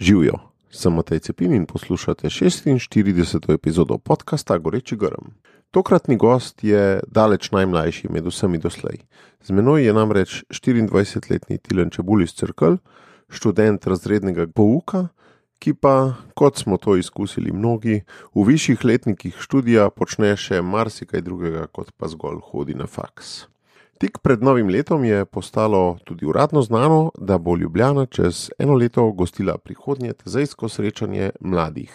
Živijo, sem Matej Cepin in poslušate 46. epizodo podcasta Goreči grm. Tokratni gost je daleč najmlajši med vsemi doslej. Z menoj je namreč 24-letni Tilen Čebulj iz Cerkelj, študent razrednega pouka, ki pa, kot smo to izkusili mnogi, v višjih letnikih študija počne še marsikaj drugega, kot pa zgolj hodi na faks. Tik pred novim letom je postalo tudi uradno znano, da bo Ljubljana čez eno leto gostila prihodnje tezejsko srečanje mladih.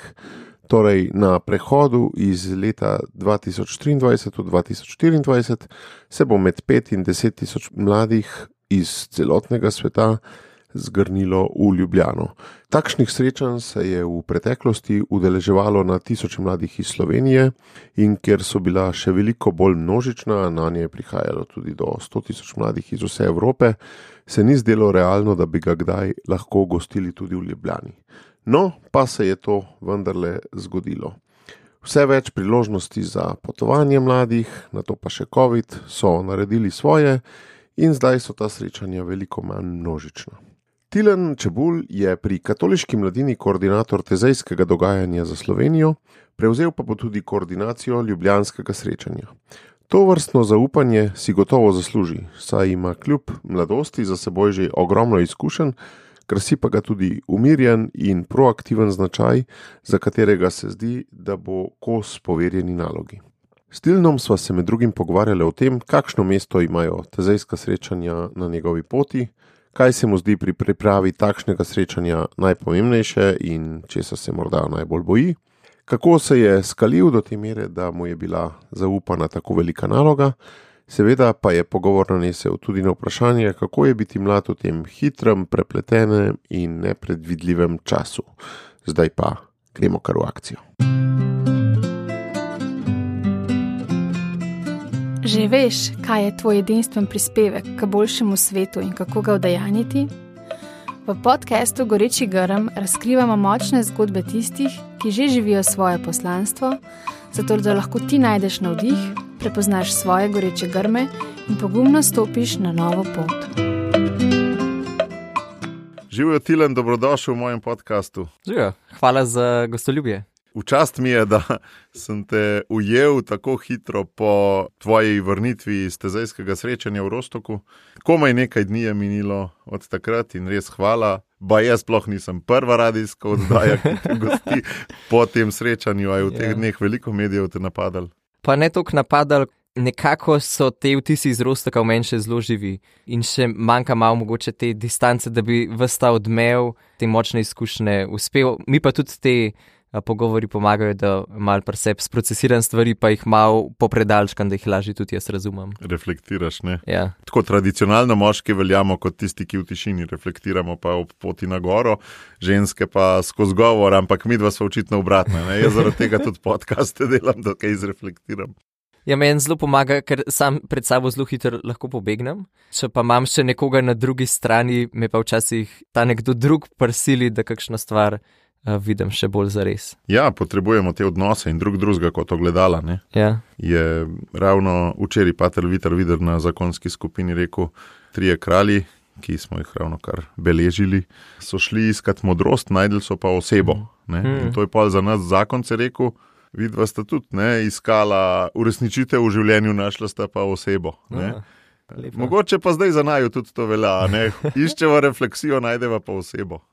Torej, na prehodu iz leta 2023 v 2024 se bo med 5 in 10 tisoč mladih iz celotnega sveta zgrnilo v Ljubljano. Takšnih srečanj se je v preteklosti udeleževalo na tisoče mladih iz Slovenije in ker so bila še veliko bolj množična, na nje je prihajalo tudi do 100 tisoč mladih iz vse Evrope, se ni zdelo realno, da bi ga kdaj lahko gostili tudi v Ljubljani. No, pa se je to vendarle zgodilo. Vse več priložnosti za potovanje mladih, nato pa še COVID, so naredili svoje in zdaj so ta srečanja veliko manj množična. Tilen Čebulj je pri Katoliški mladini koordinator tezejskega dogajanja za Slovenijo, prevzel pa bo tudi koordinacijo ljubljanskega srečanja. To vrstno zaupanje si gotovo zasluži, saj ima kljub mladosti za seboj že ogromno izkušenj, krasi pa ga tudi umirjen in proaktiven značaj, za katerega se zdi, da bo kos poverjeni nalogi. S Tilnom sva se med drugim pogovarjali o tem, kakšno mesto imajo tezejska srečanja na njegovi poti, kaj se mu zdi pri pripravi takšnega srečanja najpomembnejše in česa se morda najbolj boji, kako se je skalil do te mere, da mu je bila zaupana tako velika naloga, seveda pa je pogovor nanesel tudi na vprašanje, kako je biti mlad v tem hitrem, prepletenem in nepredvidljivem času. Zdaj pa gremo kar v akcijo. Že veš, kaj je tvoj edinstven prispevek k boljšemu svetu in kako ga udejanjiti? V podcastu Goreči grm razkrivamo močne zgodbe tistih, ki že živijo svoje poslanstvo, zato da lahko ti najdeš navdih, prepoznaš svoje goreče grme in pogumno stopiš na novo pot. Živijo, Tilen, dobrodošel v mojem podcastu. Živijo, hvala za gostoljubje. V čast mi je, da sem te ujel tako hitro po tvoji vrnitvi iz tezejskega srečanja v Rostoku. Komaj nekaj dni je minilo od takrat in res hvala. Jaz sploh nisem prva radijska oddaja, ki te gosti po tem srečanju, a je v teh dneh veliko medijev te napadal. Pa ne toliko napadal, nekako so te vtisi iz Rostoka v meni še zelo živi in še manjka malo mogoče te distance, da bi ves ta odmev, te močne izkušnje uspel. Mi pa tudi te pogovori pomagajo, da malo pri sebi sprocesiram stvari, pa jih malo popredalčkam, da jih lažje tudi jaz razumem. Reflektiraš, ne? Ja. Tako tradicionalno moški veljamo kot tisti, ki v tišini reflektiramo pa ob poti na goro, ženske pa skozi govor, ampak midva sva očitno obratna, ne? Jaz zaradi tega tudi podcaste delam, da kaj izreflektiram. Ja, meni zelo pomaga, ker sam pred sabo zelo hitro lahko pobegnem. Če pa imam še nekoga na drugi strani, me pa včasih ta nekdo drug prisili, da kakšno stvar vidim še bolj zares. Ja, potrebujemo te odnose in drugega kot ogledala, ne? Ja. Je ravno včeraj pater Vitar Vider na zakonski skupini rekel, 3 kralji, ki smo jih ravno kar beležili, so šli iskat modrost, najdli so pa osebo. Ne? In to je pa za nas zakonce rekel, vidva sta tudi iskala uresničitev v življenju, našla sta pa osebo. Ne? Mogoče pa zdaj za naju tudi to velja, ne? Iščeva refleksijo, najdeva pa osebo.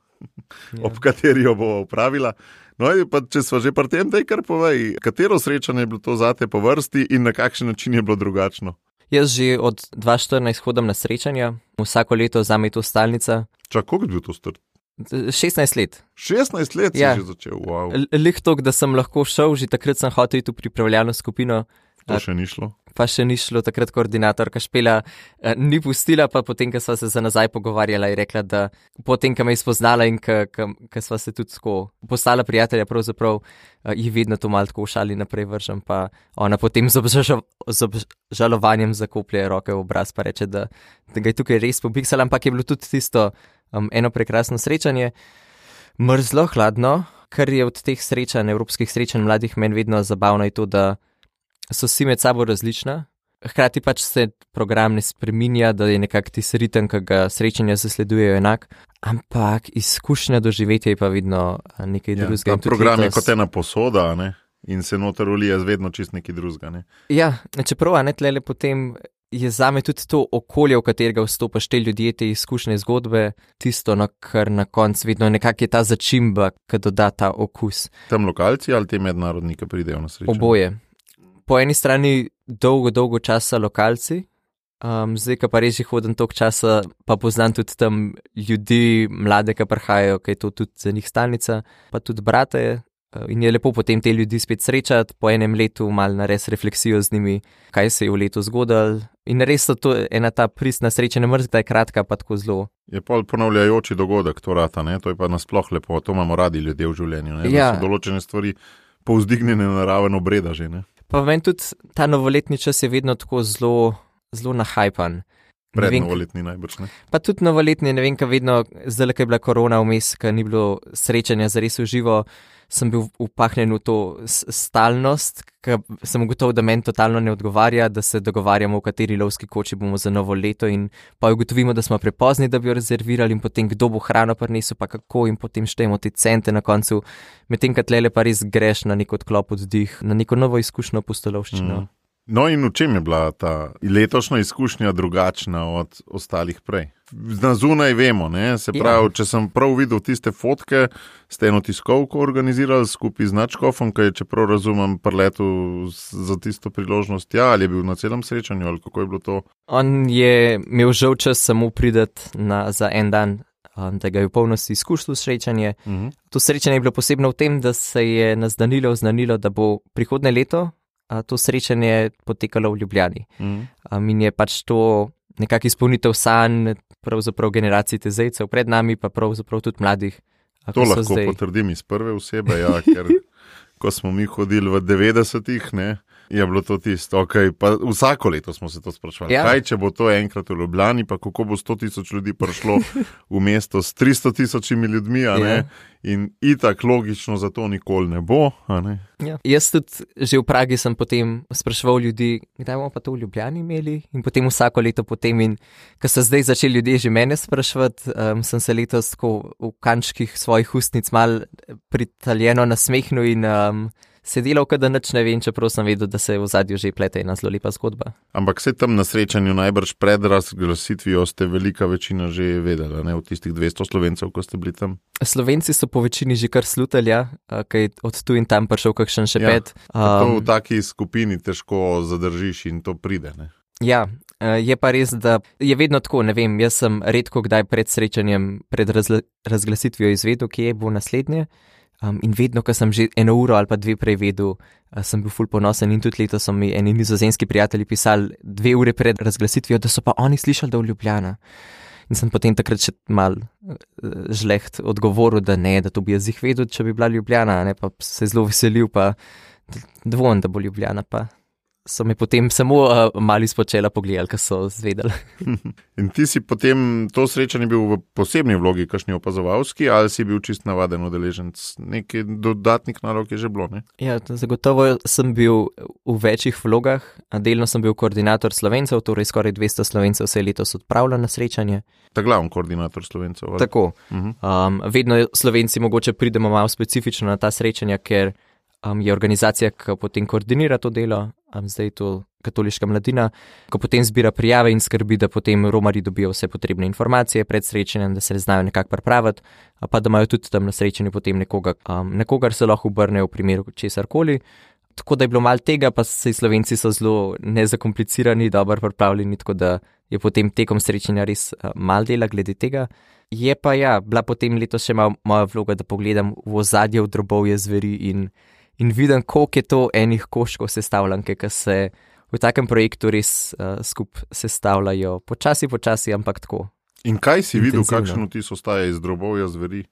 Ob kateri jo bo upravila. No, pa če sva že pri tem, daj kar povej, katero srečanje je bilo to zate po vrsti in na kakšen način je bilo drugačno? Jaz že od 2014 hodam na srečanja, vsako leto zame je to stalnica. Koliko je bil to star? 16 let. 16 let si že začel, wow. Lih toliko, da sem lahko šel, že takrat sem hotel iti v pripravljalno skupino. To še ni šlo? Pa še ni šlo, takrat koordinatorka Špela ni pustila, pa potem, ko sva se za nazaj pogovarjala, je rekla, da potem, ko me je spoznala in ko sva se tudi tako postala prijatelja, pravzaprav ji vedno to malo tako v šali naprej vržem, pa ona potem z obžalovanjem zakoplje roke v obraz, pa reče, da ga je tukaj res pobiksala, ampak je bilo tudi tisto eno prekrasno srečanje, mrzlo, hladno, kar je od teh srečanj, evropskih srečanj mladih meni vedno zabavno je to, da so vsi med sabo različna, hkrati pač se program ne spreminja, da je nekak tisti ritem, ki ga srečanja zasledujejo enak, Ampak izkušnja doživetja je pa vedno nekaj drugega. Ta program je kot ena posoda, ne? In se noter ulije vedno čist nekaj drugega. Ne? Ja, čeprav tlele potem je zame tudi to okolje, v katerega vstopaš, te ljudje, te izkušnje, zgodbe, tisto, kar na koncu vedno nekako je ta začimba, ki doda ta okus. Tam lokalci ali te mednarodni, ki pridejo na srečanje? Oboje. Po eni strani dolgo časa lokalci, zdaj, ko pa res že hodim toliko časa, pa poznam tudi tam ljudi, mlade, ki prihajajo, ki je to tudi za njih stalnica, pa tudi brate. In je lepo potem te ljudi spet srečati, po enem letu malo narediti refleksijo z njimi, kaj se je v letu zgodilo. In res so to ena ta pristna sreča, ne mrzda je kratka, pa tako zelo. Je pol ponavljajoči dogodek, to rata, ne? To je pa nasploh lepo, to imamo radi ljudje v življenju, ne? Ja. Da so določene stvari povzdignjene na raven obreda že, ne? Pa meni tudi ta novoletni čas je vedno tako zelo nahajpan. Prednovoletni najbrž, ne? Pa tudi novoletni, ne vem, kaj vedno, zdaj, ko je bila korona vmes, ko ni bilo srečanja zares v živo, sem bil upahnen v to stalnost, ker sem ugotovil, da meni totalno ne odgovarja, da se dogovarjamo, v kateri lovski koči bomo za novo leto in pa ugotovimo, da smo prepozni, da bi jo rezervirali in potem kdo bo hrano prinesel, pa kako in potem štejemo te cente na koncu, medtem ko tlele pa res greš na nek odklop oddih, na neko novo izkušnjo pustolovščino. No in v čem je bila ta letošnja izkušnja drugačna od ostalih prej? Na zunaj vemo, ne? Se pravi, če sem prav videl tiste fotke, ste eno tiskovko organizirali skupaj z Načkofom, ki je, čeprav razumem, preletel za tisto priložnost, ali je bil na celem srečanju, ali kako je bilo to? On je imel žal čas samo prideti za en dan, da ga je v polnosti izkušal srečanje. To srečanje je bilo posebno v tem, da se je naznanilo, da bo prihodnje leto to srečanje potekalo v Ljubljani. In je pač to nekako izpolnitev sanj, pravzaprav generacij tezejcev pred nami, pa pravzaprav tudi mladih. To lahko potrdim iz prve osebe, ja, ker ko smo mi hodili v 90-ih, ne, je bilo to tisto, pa vsako leto smo se to sprašvali. Ja. Kaj, če bo to enkrat v Ljubljani, pa kako bo 100,000 ljudi prišlo v mesto s 300,000 ljudmi, a ne? In itak logično za to nikoli ne bo, a ne? Ja. Jaz tudi že v Pragi sem potem spraševal ljudi, kdaj bomo pa to v Ljubljani imeli, in potem vsako leto potem, in ko so zdaj začeli ljudje že mene spraševati, sem se letos tako v kančkih svojih ustnic mal pritaljeno nasmehnil in se delal, da nič ne vem, čeprav sem vedel, da se v zadju že plete ena zelo lepa zgodba. Ampak se tam na srečanju najbrž pred razglasitvijo ste velika večina že vedela, ne, od tistih 200 Slovencev, ko ste bili tam? Slovenci so po večini že kar slutali, kaj od tu in tam prišel kakšen šepet. Ja, to v taki skupini težko zadržiš in to pride, ne? Ja, je pa res, da je vedno tako, ne vem, jaz sem redko kdaj pred srečanjem, pred razglasitvijo izvedel, kje bo naslednje. In vedno, ko sem že 1 uro ali pa 2 prej vedel, sem bil ful ponosen in tudi letos so mi eni nizozemski prijatelji pisali 2 ure pred razglasitvijo, da so pa oni slišali, da je v Ljubljana. In sem potem takrat še mal žleht odgovoril, da ne, da to bi jaz jih vedel, če bi bila Ljubljana, ne, pa se zelo veselil, pa dvomim, da bo Ljubljana, pa so me potem samo malo izpočela pogledali, ko so zvedeli. In ti si potem to srečanje bil v posebni vlogi, kakšni opazovalski, ali si bil čist navaden udeleženec? Nekaj dodatnih nalog je že bilo, ne? Ja, zagotovo sem bil v večjih vlogah. Delno sem bil koordinator Slovencev, torej skoraj 200 Slovencev se je letos odpravilo na srečanje. Ta glavni koordinator Slovencev? Ali? Tako. Vedno Slovenci mogoče pridemo malo specifično na ta srečanja, ker je organizacija, ki potem koordinira to delo, zdaj je to Katoliška mladina, ko potem zbira prijave in skrbi, da potem romarji dobijo vse potrebne informacije pred srečanjem, da se znajo nekako pripraviti, pa da imajo tudi tam na srečanju potem nekogar se lahko obrnejo v primeru česarkoli. Tako da je bilo malo tega, pa se Slovenci so zelo nezakomplicirani, dobro pripravljeni, tako da je potem tekom srečanja res malo dela glede tega. Je pa bila potem letos še moja vloga, da pogledam v ozadje v drobovje zveri in vidim, koliko je to enih koščkov sestavljanke, ki se v takem projektu res skupaj sestavljajo. Počasi, ampak tako. In kaj si videl, kakšen vtis ostaja iz drobovja zveri?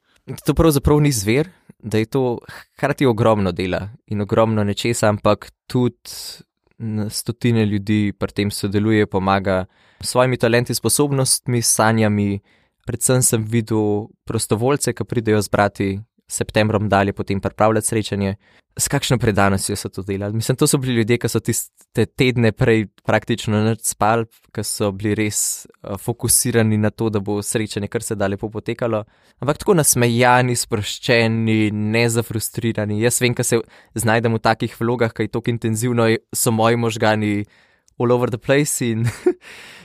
To pravzaprav ni zver, da je to hkrati ogromno dela in ogromno nečesa, ampak tudi stotine ljudi pri tem sodeluje, pomaga s svojimi talenti, sposobnostmi, sanjami. Predvsem sem videl prostovoljce, ki pridejo zbrati septembrom dalje potem pripravljati srečanje. S kakšno predanostjo so to delali? Mislim, to so bili ljudje, ki so tiste tedne prej praktično nič spali, ki so bili res fokusirani na to, da bo srečanje kar se da lepo potekalo. Ampak tako nasmejani, sproščeni, ne zafrustrirani. Jaz vem, ko se znajdem v takih vlogah, ki je tako intenzivno, so moji možgani all over the place in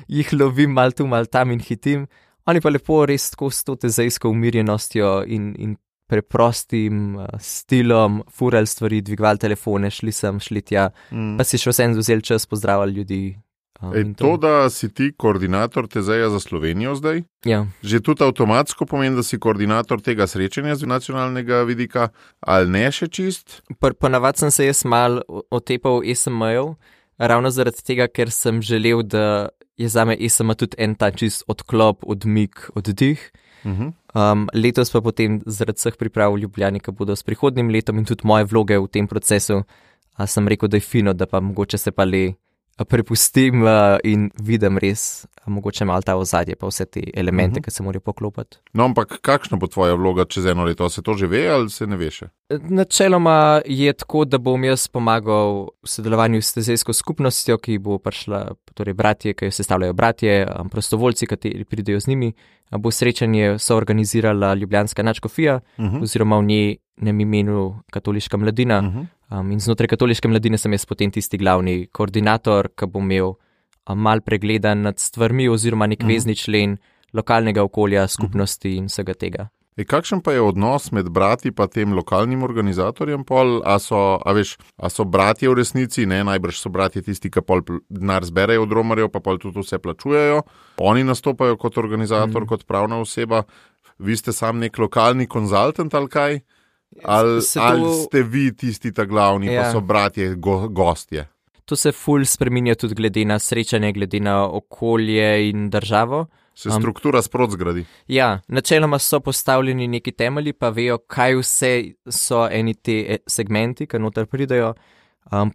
jih lovim mal tu, mal tam in hitim. Oni pa lepo res tako s to tezejsko umirjenostjo in preprostim stilom, furali stvari, dvigovali telefone, šli sem, šli tja, pa si še vsem vzeli čas, pozdravljali ljudi. To, da si ti koordinator Tezeja za Slovenijo zdaj, že tudi avtomatsko pomeni, da si koordinator tega srečanja z nacionalnega vidika, ali ne še čist? Ponavadi sem se jaz mal otepal ESM-jev, ravno zaradi tega, ker sem želel, da je zame ESM tudi en ta čist odklop, odmik, oddih. Letos pa potem zaradi vseh priprav v Ljubljani, ki bodo s prihodnjim letom in tudi moje vloge v tem procesu, sem rekel, da je fino, da pa mogoče se pa le prepustim in vidim res mogoče malo ta ozadje, pa vse te elemente, ki se morajo poklopiti. No, ampak kakšna bo tvoja vloga čez eno leto? Se to že ve ali se ne ve še? Načeloma je tako, da bom jaz pomagal v sodelovanju s tezejsko skupnostjo, ki bo prišla, torej bratje, ki jo sestavljajo bratje, prostovoljci, kateri pridejo z njimi. Bo srečanje soorganizirala Ljubljanska nadškofija oziroma v njenem imenu Katoliška mladina. In znotraj Katoliške mladine sem jaz potem tisti glavni koordinator, ki bo imel mal pregledan nad stvarmi oziroma nek vezni člen lokalnega okolja, skupnosti in vsega tega. Kakšen pa je odnos med brati pa tem lokalnim organizatorjem pol? A so bratje v resnici, ne, najbrž so bratje tisti, ki pol denar zberejo od romarjev, pa pol tudi vse plačujejo. Oni nastopajo kot organizator, kot pravna oseba. Vi ste sam nek lokalni konzultant ali kaj? Ali ste vi tisti ta glavni, pa so bratje gostje? To se ful spreminja tudi glede na srečanje, glede na okolje in državo. Se struktura sprot zgradi. Ja, načeloma so postavljeni neki temelji, pa vejo, kaj vse so eni te segmenti, ki noter pridajo.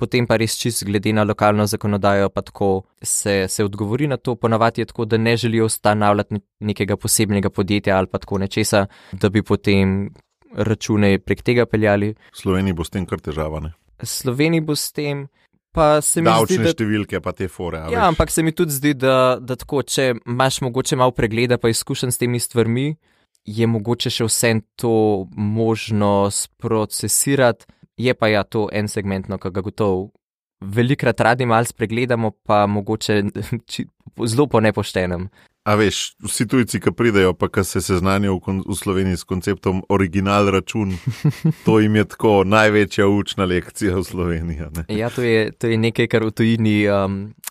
Potem pa res čist glede na lokalno zakonodajo, pa tako se odgovori na to. Ponavadi je tako, da ne želijo ustanavljati nekega posebnega podjetja ali pa tako nečesa, da bi potem račune prek tega peljali. V Sloveniji bo s tem kar težava, ne? Sloveniji bo s tem. Davčne številke pa te fore. Ja, ampak se mi tudi zdi, da tako, če imaš mogoče malo pregleda pa izkušenj s temi stvarmi, je mogoče še vse to možno sprocesirati. Je pa ja to en segmentno, ki ga gotovo velikrat radi malo spregledamo, pa mogoče zelo po nepoštenem. A veš, vsi tujci, ki pridejo, pa ki se seznanijo v Sloveniji s konceptom original račun, to jim je tako največja učna lekcija v Sloveniji. Ne? Ja, to je nekaj, kar v tujini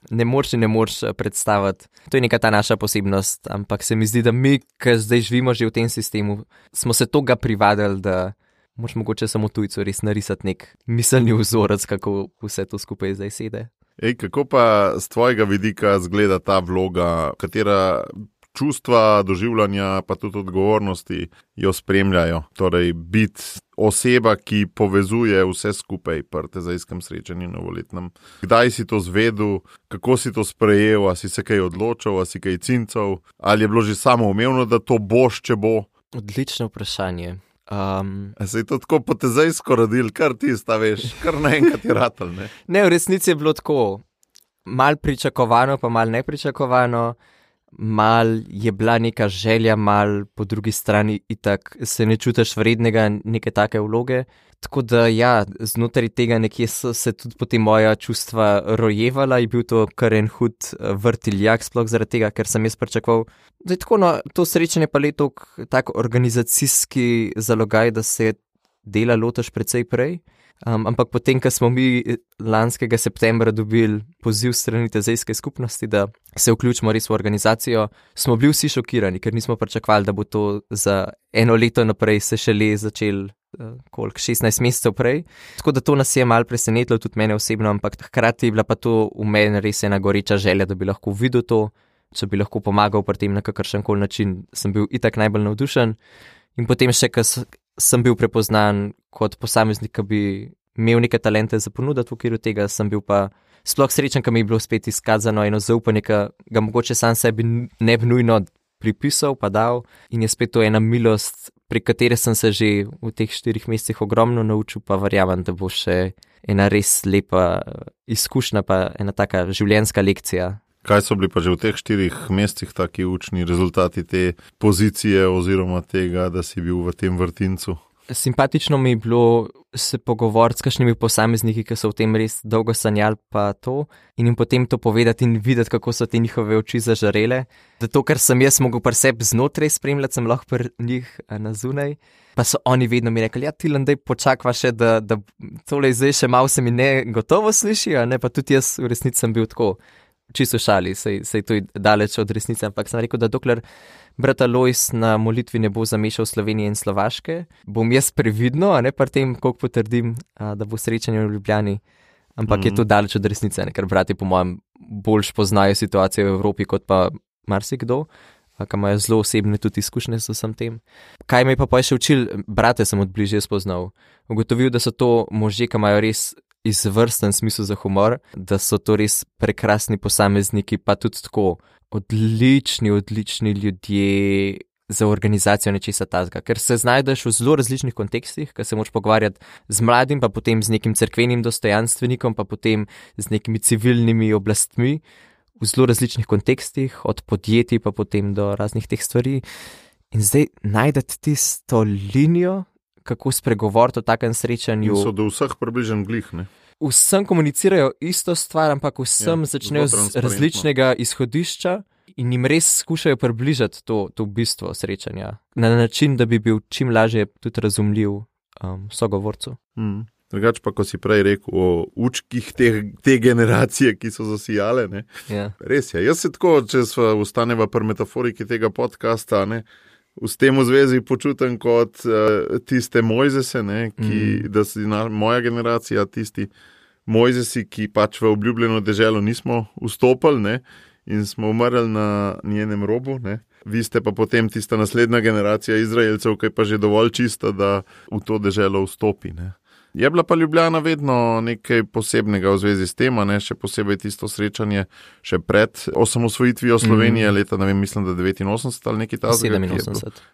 ne moreš predstaviti. To je neka ta naša posebnost, ampak se mi zdi, da mi, ki zdaj živimo že v tem sistemu, smo se toga privadili, da moraš mogoče samo tujcu res narisati nek miselni vzorec, kako vse to skupaj zdaj sede. Kako pa z tvojega vidika zgleda ta vloga, katera čustva, doživljanja, pa tudi odgovornosti jo spremljajo? Torej, biti oseba, ki povezuje vse skupaj pri tezejskem srečanju novoletnem. Kdaj si to zvedel, kako si to sprejel, a si se kaj odločil, a si kaj cincov, ali je bilo že samoumevno, da to boš, če bo? Odlično vprašanje. Se je to tako po tezejsko rodil, kar ti sta veš, kar naenkrat je ratal, ne? Ne, v resnici je bilo tako, mal pričakovano, pa mal nepričakovano, mal je bila neka želja, mal po drugi strani itak se ne čutiš vrednega neke take vloge. Tako da ja, znotraj tega nekje so se tudi potem moja čustva rojevala, je bil to kar en hud vrtiljak, sploh zaradi tega, ker sem jaz pričakoval. Zdaj tako, no, to srečanje pa je tako organizacijski zalogaj, da se dela lotaš precej prej. Ampak potem, ko smo mi lanskega septembra dobili poziv strani tezejske skupnosti, da se vključimo res v organizacijo, smo bili vsi šokirani, ker nismo pričakovali, da bo to za eno leto naprej se šele začel 16 mesecev prej. Tako da to nas je malo presenetilo, tudi mene osebno, ampak hkrati je bila pa to v meni res ena goreča želja, da bi lahko videl to, če bi lahko pomagal pri tem na kakršenkoli način, sem bil itak najbolj navdušen. In potem še, ko sem bil prepoznan kot posameznik, ki bi imel neke talente za ponuditi v okviru tega, sem bil pa sploh srečen, ko mi je bilo spet izkazano eno zaupanje, ki ga mogoče sam sebi ne bi nujno pripisal pa dal, in je spet to ena milost pri kateri sem se že v teh 4 mesecih ogromno naučil, pa verjamem, da bo še ena res lepa izkušnja, pa ena taka življenjska lekcija. Kaj so bili pa že v teh 4 mesecih taki učni rezultati te pozicije oziroma tega, da si bil v tem vrtincu? Simpatično mi je bilo se pogovoriti s kakšnimi posamezniki, ki so v tem res dolgo sanjali pa to, in jim potem to povedati in videti, kako so te njihove oči zažarele. Da to, kar sem jaz mogel pri sebi znotraj spremljati, sem lahko pri njih na zunaj. Pa so oni vedno mi rekli, ja, Tilen, daj počakva še, da tole zdaj še malo se mi ne gotovo sliši, ne, pa tudi jaz v resnici sem bil tako. Čisto šali, sej to je daleč od resnice, ampak sem rekel, da dokler brat Alojz na molitvi ne bo zamešal Slovenije in Slovaške, bom jaz previdno, a ne pri tem, koliko potrdim, da bo srečanje v Ljubljani, ampak je to daleč od resnice, ne? Ker brati po mojem boljš poznajo situacijo v Evropi kot pa marsikdo, ki imajo zelo osebne tudi izkušnje s vsem tem. Kaj me je pa še učil, brate sem od bližje spoznal, ugotovil, da so to možje, ki imajo res izvrsten smisel za humor, da so to res prekrasni posamezniki, pa tudi tako odlični ljudje za organizacijo nečesa tazga, ker se znajdeš v zelo različnih kontekstih, ker se moč pogovarjati z mladim, pa potem z nekim cerkvenim dostojanstvenikom, pa potem z nekimi civilnimi oblastmi, v zelo različnih kontekstih, od podjetij pa potem do raznih teh stvari. In zdaj najdete tisto linijo, kako spregovoriti o takem srečanju. In so do vseh približen glih, ne? Vsem komunicirajo isto stvar, ampak vsem začnejo z različnega izhodišča in jim res skušajo približati to bistvo srečanja. Na način, da bi bil čim lažje tudi razumljiv sogovorcu. Drugač pa, ko si prej rekel o učkih te generacije, ki so zasijale, ne? Ja. Res je. Jaz se tako, če sva ustaneva pri metaforiki tega podcasta, ne, v tem v zvezi počutim kot tiste Mojzese, ne, da si moja generacija, tisti Mojzesi, ki pač v obljubljeno deželo nismo vstopili, ne, in smo umrli na njenem robu, ne. Vi ste pa potem tista naslednja generacija Izraelcev, ki je pa že dovolj čista, da v to deželo vstopi, ne. Je bila pa Ljubljana vedno nekaj posebnega v zvezi s tem, ne, še posebej tisto srečanje še pred osamosvojitvijo Slovenije, leta, ne vem, mislim, da 89 ali nekaj tazga.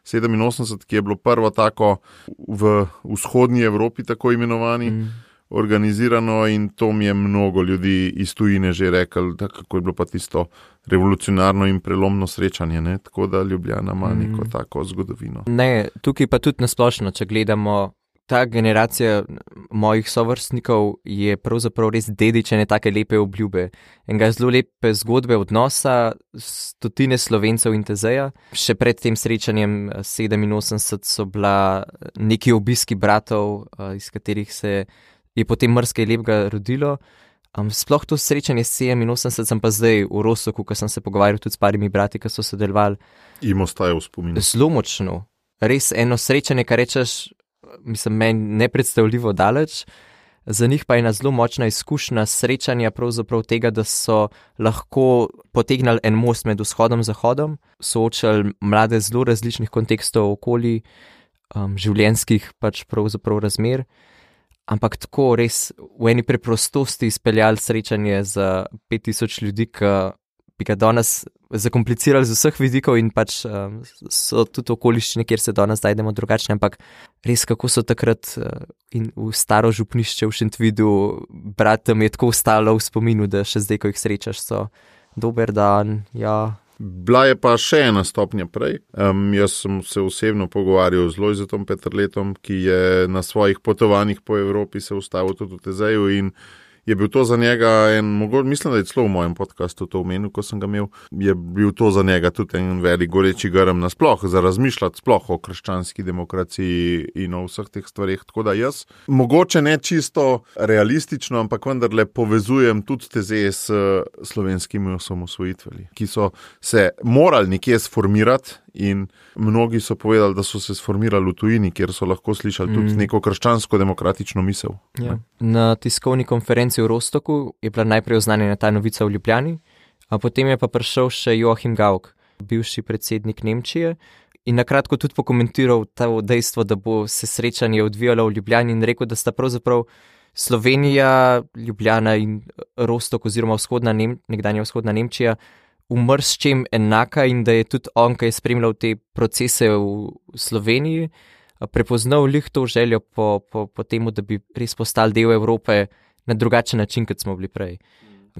87, ki je bilo prvo tako v vzhodnji Evropi, tako imenovani, organizirano, in to mi je mnogo ljudi iz tujine že rekli, da kako je bilo pa tisto revolucionarno in prelomno srečanje, ne, tako da Ljubljana ima neko tako zgodovino. Ne, tukaj pa tudi nasplošno, če gledamo, ta generacija mojih sovrstnikov je pravzaprav res dedič ene take lepe obljube. Enega zelo lepe zgodbe odnosa, stotine Slovencev in Tezeja. Še pred tem srečanjem 87 so bila neki obiski bratov, iz katerih se je potem marsikaj lepega rodilo. Sploh to srečanje 87 sem pa zdaj v Rostoku, ko sem se pogovarjal tudi s parimi brati, ki so sodelovali. Im ostaje v spominu. Zelo močno. Res eno srečanje, kar rečeš, mislim, meni nepredstavljivo daleč, za njih pa je ena zelo močna izkušnja srečanja pravzaprav tega, da so lahko potegnali en most med vzhodom in zahodom, soočali mlade zelo različnih kontekstov okoli, življenjskih pač pravzaprav razmer, ampak tako res v eni preprostosti izpeljali srečanje za 5000 ljudi, ki bi ga danes zakomplicirali z vseh vidikov in pač so tudi okoliščine, kjer se danes zajdemo drugačne, ampak res kako so takrat in v staro župnišče v Šentvidu bratom je tako ostalo v spominu, da še zdaj, ko jih srečaš, so dober dan, ja. Bila je pa še ena stopnja prej. Jaz sem se osebno pogovarjal z Lojzetom Peterletom, ki je na svojih potovanjih po Evropi se ustavil tudi v Tezeju in je bil to za njega mislim, da je celo v mojem podcastu to omenil, ko sem ga imel, je bil to za njega tudi en velik goreči grm nasploh, za razmišljati sploh o krščanski demokraciji in o vseh teh stvarih. Tako da jaz, mogoče ne čisto realistično, ampak vendarle povezujem tudi Tezeje s slovenskimi osamosvojitvami, ki so se morali nekje sformirati. In mnogi so povedali, da so se sformirali v tujini, kjer so lahko slišali tudi neko krščansko-demokratično misel. Ja. Na tiskovni konferenci v Rostoku je bila najprej oznanjena ta novica v Ljubljani, a potem je pa prišel še Joachim Gauck, bivši predsednik Nemčije, in nakratko tudi pokomentiral to dejstvo, da bo se srečanje odvijalo v Ljubljani in rekel, da sta pravzaprav Slovenija, Ljubljana in Rostok oziroma nekdanja vzhodna Nemčija umrl s čem enaka in da je tudi on, ki je spremljal te procese v Sloveniji, prepoznal lih to željo po temu, da bi res postali del Evrope na drugačen način, kot smo bili prej.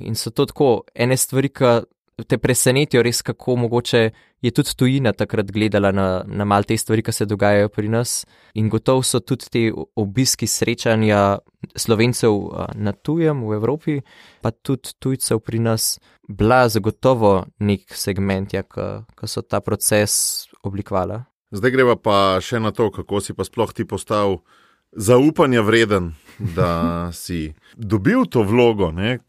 In so to tako ene stvari, ki te presenetijo res, kako mogoče je tudi tujina takrat gledala na mal te stvari, ki se dogajajo pri nas. In gotovo so tudi te obiski srečanja Slovencev na tujem v Evropi, pa tudi tujcev pri nas, bila zagotovo nek segment, ki so ta proces oblikovali. Zdaj greva pa še na to, kako si pa sploh ti postal zaupanja vreden, da si dobil to vlogo, ne,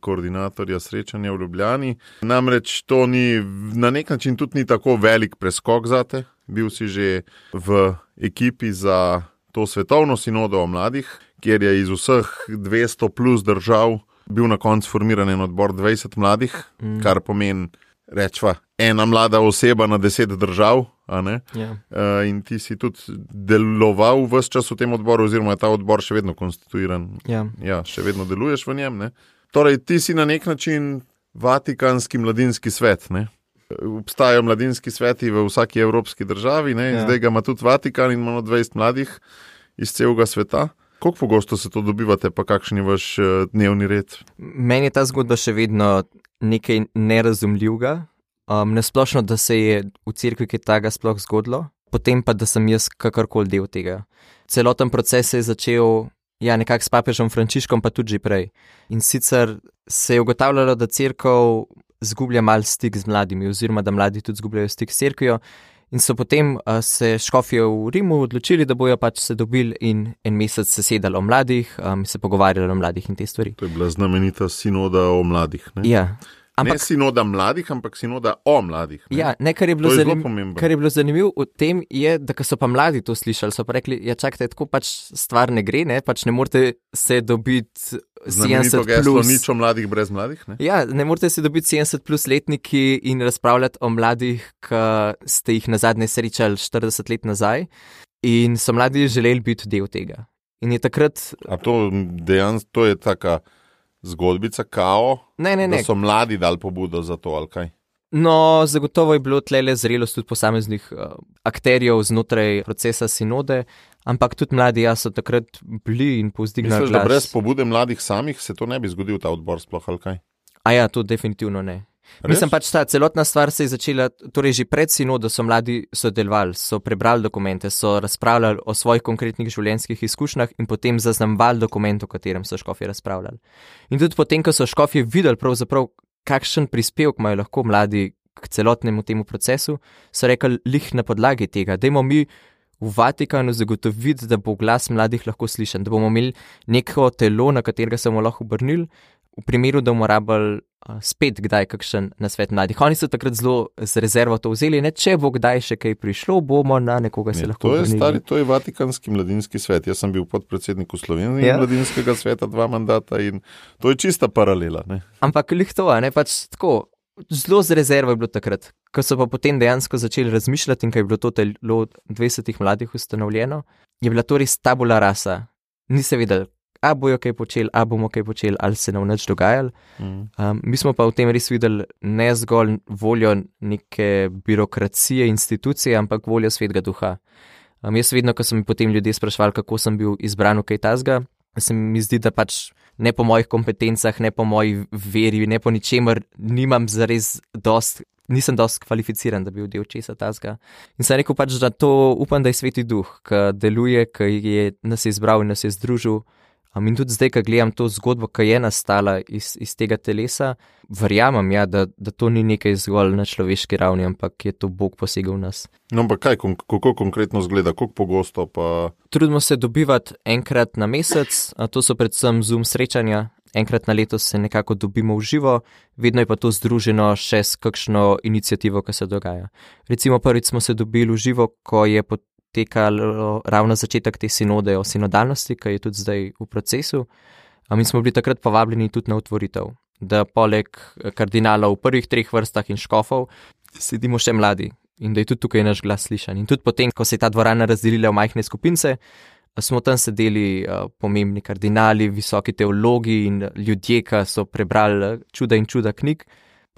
koordinatorja srečanja v Ljubljani. Namreč to ni, na nek način tudi ni tako velik preskok zate. Bil si že v ekipi za to svetovno sinodo o mladih, kjer je iz vseh 200 plus držav bil na koncu formiran en odbor 20 mladih, kar pomeni, rečva, ena mlada oseba na 10 držav, a ne? Ja. In ti si tudi deloval ves čas v tem odboru, oziroma je ta odbor še vedno konstituiran. Ja, še vedno deluješ v njem, ne? Torej, ti si na nek način Vatikanski mladinski svet, ne? Obstajajo mladinski sveti v vsaki evropski državi, ne? Ja. Zdaj ga ima tudi Vatikan in imamo 20 mladih iz celega sveta. Koliko pogosto se to dobivate, pa kakšen je vaš dnevni red? Meni je ta zgodba še vedno nekaj nerazumljivega. Nesplošno, da se je v cerkvi kaj takega sploh zgodilo, potem pa, da sem jaz kakorkoli del tega. Celoten proces se je začel nekako s papežem Frančiškom, pa tudi že prej. In sicer se je ugotavljalo, da cerkev zgublja mal stik z mladimi, oziroma da mladi tudi zgubljajo stik s cerkvijo. In so potem se škofje v Rimu odločili, da bojo pač se dobili in en mesec se sedali o mladih, se pogovarjali o mladih in te stvari. To je bila znamenita sinoda o mladih, ne? Ja. Ne sinoda mladih, ampak sinoda o mladih. Ne? Ja, kar je bilo zanimivo v tem je, da ko so pa mladi to slišali, so pa rekli, ja čakajte, tako pač stvar ne gre, ne, pač ne morete se dobiti 70 plus. Nič o mladih brez mladih, ne? Ja, ne morete se dobiti 70 plus letniki in razpravljati o mladih, ki ste jih nazadnje srečali 40 let nazaj in so mladi želeli biti del tega. In je takrat... A to dejansko, to je taka zgodbica kao, ne. Da so mladi dali pobudo za to, ali kaj? No, zagotovo je bilo tlele zrelost tudi posameznih akterjev znotraj procesa sinode, ampak tudi mladi so takrat bili in povzdignali glas. Misliš, da brez pobude mladih samih se to ne bi zgodil ta odbor sploh, ali kaj? A ja, to definitivno ne. Mislim pač ta celotna stvar se je začela, torej že pred sinodo so mladi sodelovali, so prebrali dokumente, so razpravljali o svojih konkretnih življenjskih izkušnjah in potem zaznamovali dokument, o katerem so škofje razpravljali. In tudi potem, ko so škofje videli pravzaprav, kakšen prispevek imajo lahko mladi k celotnemu temu procesu, so rekli, lih na podlagi tega, dajmo mi v Vatikanu zagotoviti, da bo glas mladih lahko slišan, da bomo imeli neko telo, na katerega se bomo lahko obrnili, v primeru, da bomo rabili spet kdaj kakšen nasvet mladih. Oni so takrat zelo z rezervo to vzeli, ne, če bo kdaj še kaj prišlo, bomo na nekoga se lahko obrnili. To je Vatikanski mladinski svet. Jaz sem bil podpredsednik v Sloveniji mladinskega sveta 2 mandata in to je čista paralela. Ne? Ampak lih to, ne, pač tako, zelo z rezervo je bilo takrat. Ko so pa potem dejansko začeli razmišljati in ko je bilo to telo 20 mladih ustanovljeno, je bila to res tabula rasa. Ni se vedel, a bojo kaj počeli, a bomo kaj počeli, ali se nam nič dogajali. Mi smo pa v tem res videli ne zgolj voljo neke birokracije, institucije, ampak voljo svetega duha. Jaz vedno, ko so mi potem ljudje sprašvali, kako sem bil izbran v kaj tazga, se mi zdi, da pač ne po mojih kompetencah, ne po moji veri, ne po ničemer, nisem dost kvalificiran, da bi bil del česa tazga. In sem rekel pač, da to upam, da je sveti duh, ki deluje, ki nas je izbral in nas je združil. In tudi zdaj, ko gledam to zgodbo, ki je nastala iz tega telesa, verjamem, da to ni nekaj zgolj na človeški ravni, ampak je to Bog posegel v nas. No, ampak kaj, kako konkretno zgleda, koliko pogosto pa... Trudimo se dobivati enkrat na mesec, to so predvsem Zoom srečanja, enkrat na leto se nekako dobimo v živo, vedno je pa to združeno še s kakšno iniciativo, ki se dogaja. Recimo prvič smo se dobili v živo, ko je potekalo ravno začetek te sinode o sinodalnosti, ki je tudi zdaj v procesu. Mi smo bili takrat povabljeni tudi na otvoritev, da poleg kardinalov v prvih 3 vrstah in škofov sedimo še mladi in da je tudi tukaj naš glas slišan. In tudi potem, ko se je ta dvorana razdelila v majhne skupince, smo tam sedeli pomembni kardinali, visoki teologi in ljudje, ki so prebrali čuda in čuda knjig,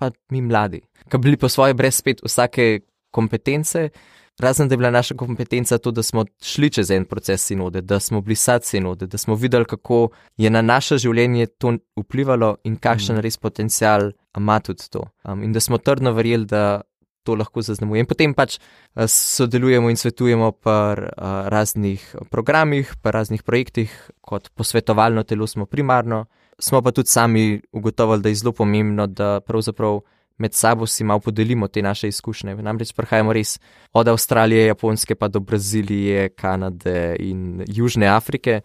pa mi mladi, ki bili po svoje brez spet vsake kompetence, razen da je bila naša kompetenca to, da smo šli čez en proces sinode, da smo bili sad sinode, da smo videli, kako je na naše življenje to vplivalo in kakšen res potencial ima tudi to. In da smo trdno verjeli, da to lahko zaznamuje. In potem pač sodelujemo in svetujemo pri raznih programih, pri raznih projektih, kot posvetovalno telo smo primarno. Smo pa tudi sami ugotovili, da je zelo pomembno, da pravzaprav med sabo si malo podelimo te naše izkušnje. Namreč prihajamo res od Avstralije, Japonske pa do Brazilije, Kanade in Južne Afrike.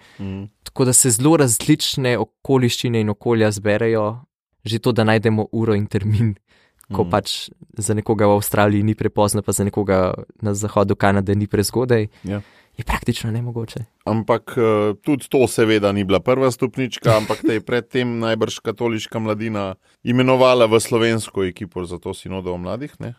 Tako da se zelo različne okoliščine in okolja zberejo. Že to, da najdemo uro in termin, ko pač za nekoga v Avstraliji ni prepozno, pa za nekoga na zahodu Kanade ni prezgodaj, je praktično nemogoče. Ampak tudi to seveda ni bila prva stopnička, ampak te je predtem najbrž katoliška mladina imenovala v slovensko ekipo za to sinodo o mladih, ne?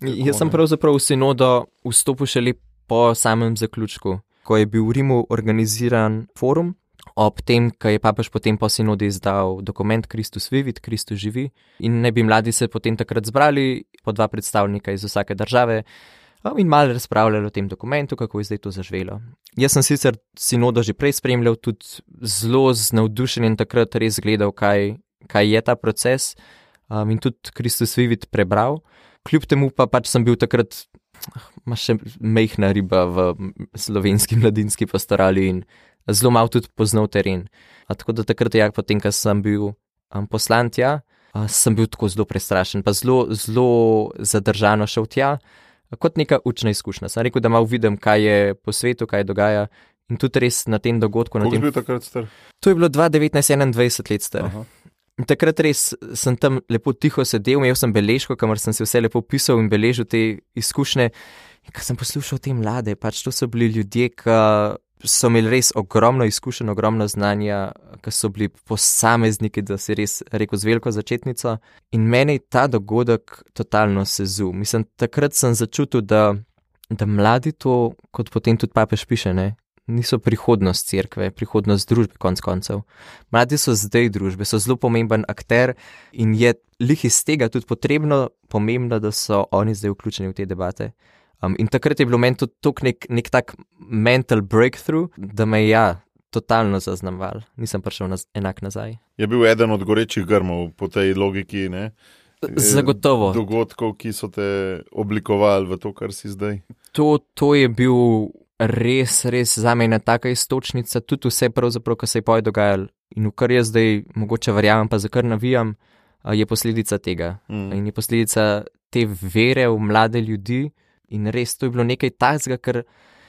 Jaz sem pravzaprav v sinodo vstopil šele po samem zaključku, ko je bil v Rimu organiziran forum, ob tem, ko je papež potem po sinodi izdal dokument Christus Vivit, Kristus živi, in ne bi mladi se potem takrat zbrali, po 2 predstavnika iz vsake države, in malo razpravljali o tem dokumentu, kako je zdaj to zaživelo. Jaz sem sicer sinodo že prej spremljal, tudi zelo z navdušenjem takrat res gledal, kaj je ta proces, in tudi Kristus Vivit prebral. Kljub temu pa pač sem bil takrat še majhna riba v slovenski mladinski pastorali in zelo malo tudi poznal teren. Tako da takrat, potem, ko sem bil poslan tja, sem bil tako zelo prestrašen, pa zelo zadržano šel tja, kot neka učna izkušnja. Sem rekel, da malo vidim, kaj je po svetu, kaj dogaja, in tudi res na tem dogodku. Koliko je bil takrat star? To je bilo 2019-21 let star. Takrat res sem tam lepo tiho sedel, imel sem beležko, kamor sem se vse lepo pisal in beležil te izkušnje. In ko sem poslušal te mlade, pač to so bili ljudje, ki so imeli res ogromno izkušenj, ogromno znanja, ki so bili posamezniki, da si res rekel z veliko začetnico. In meni ta dogodek totalno sezul. Mislim, takrat sem začutil, da mladi to, kot potem tudi papež piše, ne, niso prihodnost cerkve, prihodnost družbe konc koncev. Mladi so zdaj družbe, so zelo pomemben akter in je lih iz tega tudi pomembno, da so oni zdaj vključeni v te debate. In takrat je bilo meni tudi nek tak mental breakthrough, da me je totalno zaznamoval. Nisem prišel enak nazaj. Je bil eden od gorečih grmov po tej logiki, ne? Zagotovo. Dogodkov, ki so te oblikovali v to, kar si zdaj. To je bil res za mene taka iztočnica, tudi vse pravzaprav, kar se je poje dogajalo in v kar jaz zdaj mogoče verjamem, pa za kar navijam, je posledica tega. In je posledica te vere v mlade ljudi. In res, to je bilo nekaj takega, ker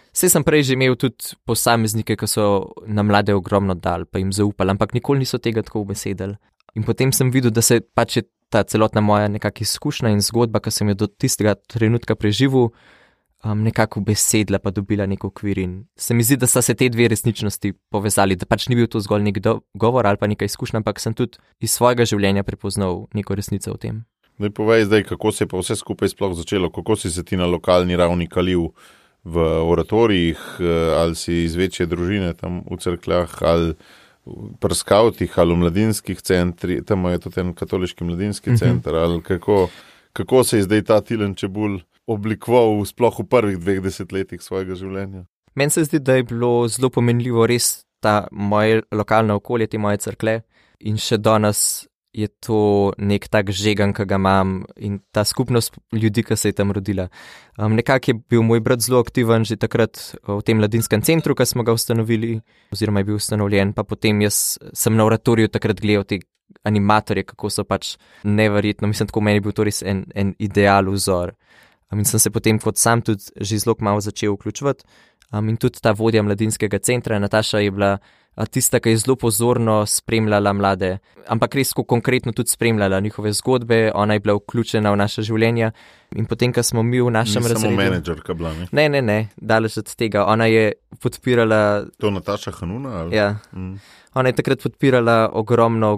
vse sem prej že imel tudi posameznike, ki so na mlade ogromno dali, pa jim zaupali, ampak nikoli niso tega tako ubesedili. In potem sem videl, da se pač je ta celotna moja nekakšna izkušnja in zgodba, ki sem jo do tistega trenutka preživel, nekako ubesedila, pa dobila nek okvir. In se mi zdi, da sta se te dve resničnosti povezali, da pač ni bil to zgolj nek govor ali pa neka izkušnja, ampak sem tudi iz svojega življenja prepoznal neko resnico v tem. Zdaj povej, kako se je pa vse skupaj sploh začelo, kako si se ti na lokalni ravni kalil v oratorijih, ali si iz večje družine tam v cerkljah, ali pri skavtih, ali v mladinskih centrih, tam je tudi en katoliški mladinski center, ali kako se je zdaj ta Tilen Čebulj oblikoval sploh v prvih 20 letih svojega življenja? Meni se zdi, da je bilo zelo pomenljivo res ta moje lokalno okolje, te moje cerklje, in še danes je to nek tak žegan, ki ga imam, in ta skupnost ljudi, ki se je tam rodila. Nekako je bil moj brat zelo aktiven že takrat v tem mladinskem centru, ki smo ga ustanovili, oziroma je bil ustanovljen, pa potem jaz sem na oratoriju takrat gledal te animatorje, kako so pač neverjetno, mislim, tako meni je bil to res en ideal vzor. In sem se potem kot sam tudi že zelo malo začel vključevati. In tudi ta vodja mladinskega centra, Nataša, je bila tista, ki je zelo pozorno spremljala mlade, ampak res konkretno tudi spremljala njihove zgodbe, ona je bila vključena v naše življenja. In potem, ko smo mi v našem razredu... Ni samo menedžerka bila, ne? Ne, daleč od tega. Ona je podpirala... To Nataša Hanuna? Ali? Ja. Ona je takrat podpirala ogromno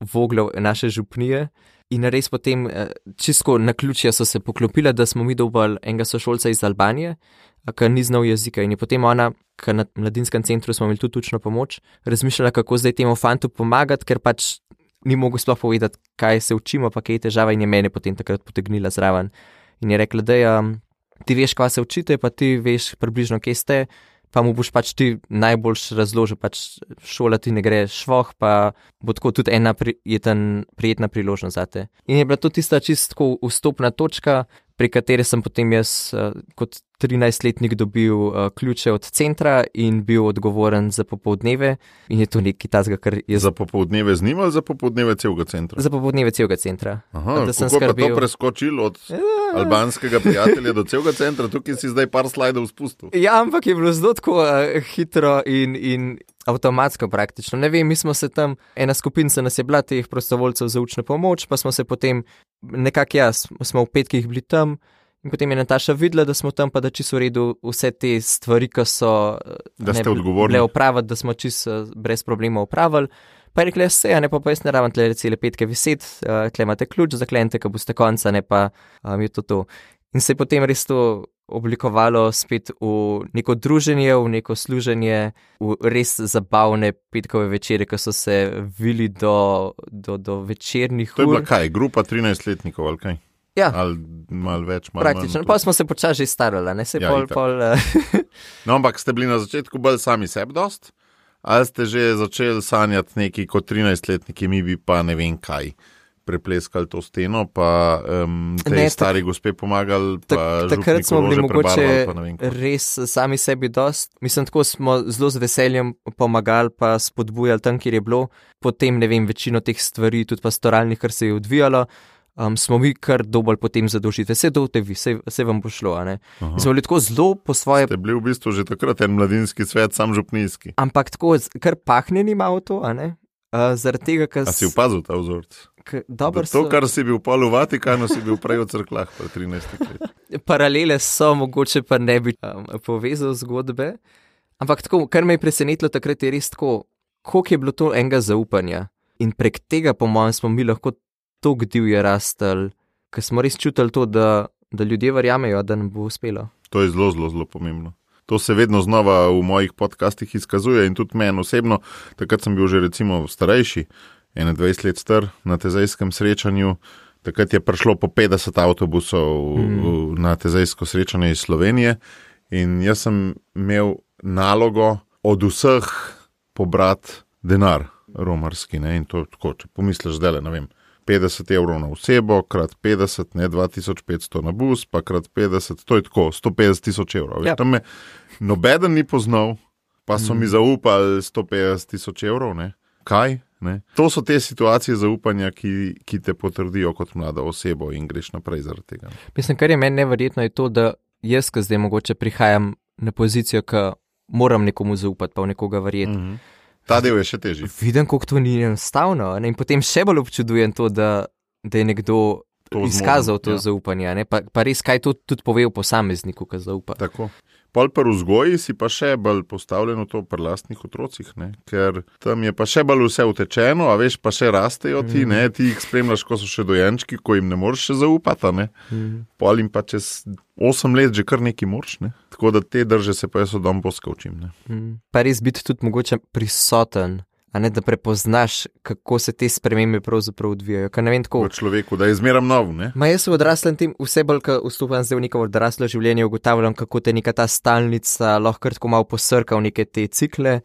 voglov naše župnije. In res potem, čisto na ključje so se poklopila, da smo mi dobili enega sošolca iz Albanije, ki ni znal jezika. In je potem ona, ki na mladinskem centru smo imeli tudi učno pomoč, razmišljala, kako zdaj temu fantu pomagati, ker pač ni mogel sploh povedati, kaj se učimo, pa kaj je težava in je mene potem takrat potegnila zraven. In je rekla, da ti veš, kaj se učite, pa ti veš približno, kje ste, pa mu boš pač ti najboljš razložil, pač šola ti ne gre švoh, pa bo tako tudi ena prijetna priložnost zate. In je bila to tista čisto vstopna točka, pri kateri sem potem jaz kot 13-letnik dobil ključe od centra in bil odgovoren za popoldneve. In je to nekaj tazga, kar je... Za popoldneve z njim ali za popoldneve celega centra? Za popoldneve celega centra. Aha, kako pa to preskočil od albanskega prijatelja do celega centra? Tukaj si zdaj par slajdov spustil. Ja, ampak je bilo zelo tako hitro in avtomatsko praktično. Ne vem, mi smo se tam, ena skupinca nas je bila teh prostovoljcev za učno pomoč, pa smo se potem nekako smo v petkih bili tam in potem je Nataša videla, da smo tam, pa da čisto v redu vse te stvari, ki so bile opraviti, da smo čisto brez problema opravili. Pa je rekla, ja, ne pa jaz ne rabim tle cele petke viseti, tle imate ključ, zaklenite, ko boste konca, ne pa je to. In se je potem res to oblikovalo spet v neko druženje, v neko služenje, v res zabavne petkove večere, ki so se vili do večernih ur. To je bila kaj, grupa 13-letnikov ali kaj? Ja. Ali malo več, malo praktično. Pa smo se počasi že starali, ne? No, ampak ste bili na začetku bolj sami sebi dost? Ali ste že začeli sanjati neki kot 13-letniki, mi bi pa ne vem kaj prepleskali to steno, pa stari gospe pomagali, pa takrat smo bili mogoče res sami sebi dost. Mislim, tako smo zelo z veseljem pomagali, pa spodbujali tam, kjer je bilo. Potem, ne vem, večino teh stvari, tudi pastoralnih, kar se je odvijalo, smo mi kar dobolj potem zadolžiti. Vse dovte vi, vse vam bo šlo, a ne. Smo bili tako zelo po svoje... Ste bili v bistvu že takrat en mladinski svet, sam župnijski. Ampak tako, kar pahnjeni malo to, a ne. Zaradi tega, ker... A si opazil ta vzorc? To, kar si bil pol v Vatikanu, si bil prej v crklah, pa 13 let. Paralele so, mogoče pa ne bi povezal zgodbe. Ampak tako, kar me je presenetilo takrat, je res tako, koliko je bilo to enega zaupanja. In prek tega, po mojem, smo mi lahko toliko divje rastali, ker smo res čutili to, da ljudje verjamejo, da nam bo uspelo. To je zelo, zelo, zelo pomembno. To se vedno znova v mojih podcastih izkazuje in tudi meni osebno, takrat sem bil že recimo starejši, 21 let star, na tezejskem srečanju, takrat je prišlo po 50 avtobusov na tezejsko srečanje iz Slovenije in jaz sem imel nalogo od vseh pobrati denar romarski, ne, in to tako, če pomisliš zdaj, ne vem, 50 evrov na osebo, krat 50, ne 2500 na bus, pa krat 50, to je tako, 150 000 evrov. Ja. Tam me nobeden ni poznal, pa so mi zaupali 150 000 evrov, ne. Kaj? Ne? To so te situacije zaupanja, ki te potrdijo kot mlada osebo in greš naprej zaradi tega. Mislim, kar je meni neverjetno, je to, da jaz, ki zdaj mogoče prihajam na pozicijo, ki moram nekomu zaupati, pa v nekoga verjeti. Ta del je še težji. Vidim, koliko to ni enostavno. Ne? In potem še bolj občudujem to, da je nekdo izkazal to zaupanje. Ne? Pa res, kaj to tudi pove o posamezniku, ki zaupa. Tako. Pol pa v vzgoji si pa še bolj postavljeno to pri lastnih otrocih, ne? Ker tam je pa še bolj vse utečeno, a veš, pa še rastejo ti, ne? Ti jih spremljaš, ko so še dojenčki, ko jim ne moreš še zaupati, ne? Pol jim pa čez 8 let že kar neki moraš, ne? Tako da te drže se pa jaz od dom poskavčim, ne? Pa res biti tudi mogoče prisoten, a ne da prepoznaš, kako se te spremembe pravzaprav odvijajo. Ker ne vem tako... V človeku, da je zmeram nov, ne? Ma jaz v odraslem tem, vse bolj, ko vstupam zdaj v neko odraslo življenje, ugotavljam, kako te neka ta stalnica lahko tako malo posrka v neke te cikle,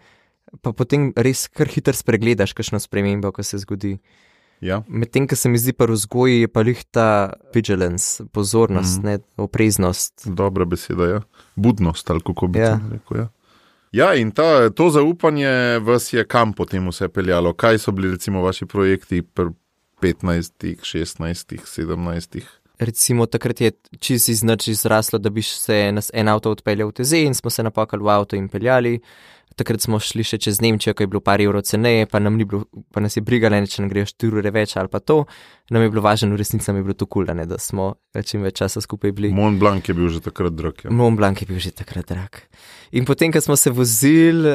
pa potem res kar hitro spregledaš kakšno spremembo, ko se zgodi. Ja. Medtem, ko se mi zdi pa v vzgoji, je pa lih ta vigilance, pozornost, ne, opreznost. Dobra beseda, ja. Budnost, ali kako bi rekel, ja. Ja, in to zaupanje vas je kam potem vse peljalo? Kaj so bili recimo vaši projekti pri 15, 16, 17? Recimo takrat je čisto iz nič izraslo, da bi se nas en avto odpeljal v Tezej in smo se napakali v avto in peljali. Takrat smo šli še čez Nemčijo, ko je bilo par evrov ceneje, pa nas je brigala, če nam grejo 4 ure več ali pa to. Nam je bilo važno, v resnici nam je bilo to kul, da smo čim več časa skupaj bili. Mont Blanc je bil že takrat drag. Ja. Mont Blanc je bil že takrat drag. In potem, ko smo se vozili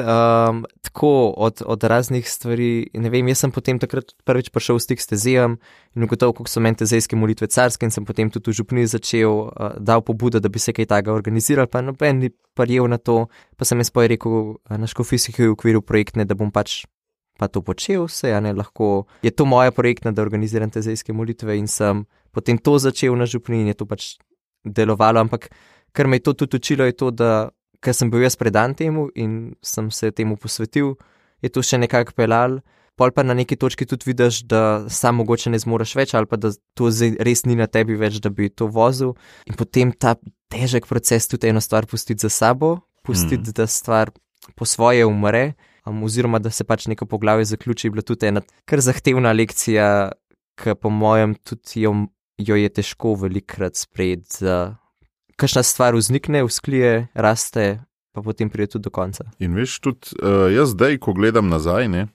tako od raznih stvari, ne vem, jaz sem potem takrat prvič prišel v stik s Tezejem in ugotovil, koliko so meni tezejske molitve carske in sem potem tudi v župniji začel dal pobudo, da bi se kaj takega organiziral, pa noben ni parjel na to, pa sem jaz rekel na škofijskih v okviru projektne, da bom pač pa to počel vse, lahko je to moja projektna, da organiziram te zejske molitve in sem potem to začel na župniji in je to pač delovalo, ampak kar me je to tudi učilo je to, da ker sem bil jaz predan temu in sem se temu posvetil, je to še nekako pelal, pol pa na neki točki tudi vidiš, da sam mogoče ne zmoreš več ali pa da to res ni na tebi več, da bi to vozil in potem ta težek proces tudi eno stvar pustiti za sabo, pustiti, da stvar po svoje umre, oziroma da se pač neko poglavje zaključi, je bila tudi ena kar zahtevna lekcija, ki po mojem tudi jo je težko velikrat sprejeti, da kakšna stvar vznikne, vzklije, raste, pa potem pride tudi do konca. In veš, tudi jaz zdaj, ko gledam nazaj, ne,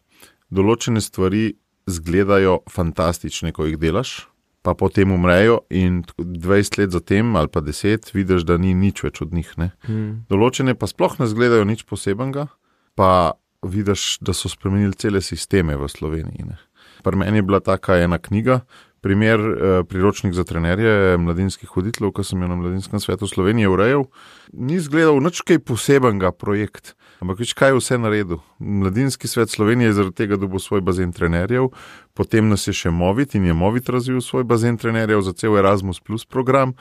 določene stvari zgledajo fantastične, ko jih delaš, pa potem umrejo in 20 let zatem ali pa 10 vidiš, da ni nič več od njih. Ne. Določene pa sploh ne zgledajo nič posebenega, pa vidiš, da so spremenili cele sisteme v Sloveniji. Ne. Pri meni je bila taka ena knjiga, primer priročnik za trenerje mladinskih voditeljev, ko sem jo na Mladinskem svetu Slovenije urejal, ni zgledal nič kaj posebenega projekt, ampak več kaj je vse naredil. Mladinski svet Slovenije je zaradi tega dobil svoj bazen trenerjev, potem nas je še Movit in je Movit razvil svoj bazen trenerjev za cel Erasmus Plus program,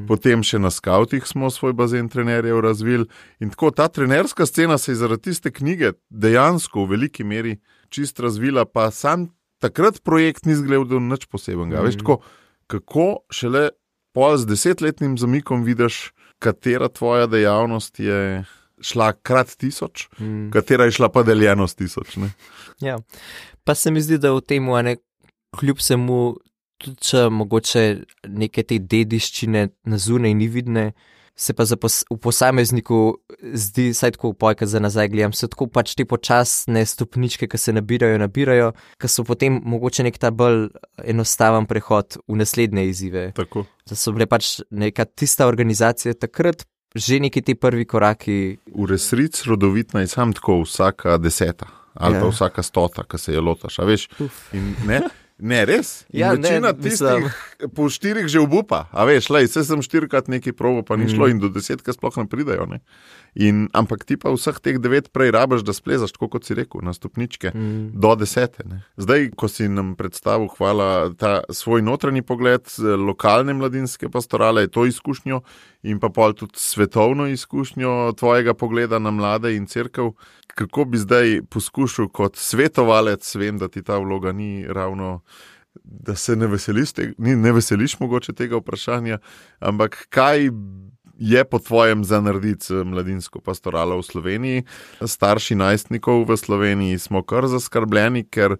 potem še na Skautih smo svoj bazen trenerjev razvili in tako ta trenerska scena se je zaradi tiste knjige dejansko v veliki meri čist razvila, pa sam takrat projekt ni zgledal nič posebenega. Veš, tako, kako šele pol z 10-letnim zamikom vidiš, katera tvoja dejavnost je šla krat 1000, katera je šla pa deljeno s 1000. Ne? Ja, pa se mi zdi, da v tem kljub semu, tudi če mogoče neke te dediščine na zunaj ni vidne, se pa v posamezniku zdi, saj tako pojka za nazaj gledam, so tako pač te počasne stopničke, ki se nabirajo, ki so potem mogoče nek ta bolj enostaven prehod v naslednje izzive. Tako. Da so bile pač neka tista organizacija takrat, že neki ti prvi koraki. V resnici rodovitna je sam tako vsaka 10. ali pa vsaka 100, ki se je lotaš, a veš, in ne... Ne, res. Ja, večina tistih po 4 že obupa. A veš, se sem 4krat nekaj probo, pa ni šlo in do 10 sploh ne pridajo. Ne? Ampak ti pa vseh teh 9 prej rabaš, da splezaš, tako kot si rekel, na stopničke do 10. Ne? Zdaj, ko si nam predstavil, hvala, ta svoj notranji pogled, lokalne mladinske pastorale, to izkušnjo in pa pol tudi svetovno izkušnjo tvojega pogleda na mlade in cerkev, kako bi zdaj poskušal kot svetovalec, vem, da ti ta vloga ni ravno, da se ne veseliš mogoče tega vprašanja, ampak kaj je po tvojem za narediti mladinsko pastoralo v Sloveniji? Starši najstnikov v Sloveniji smo kar zaskrbljeni, ker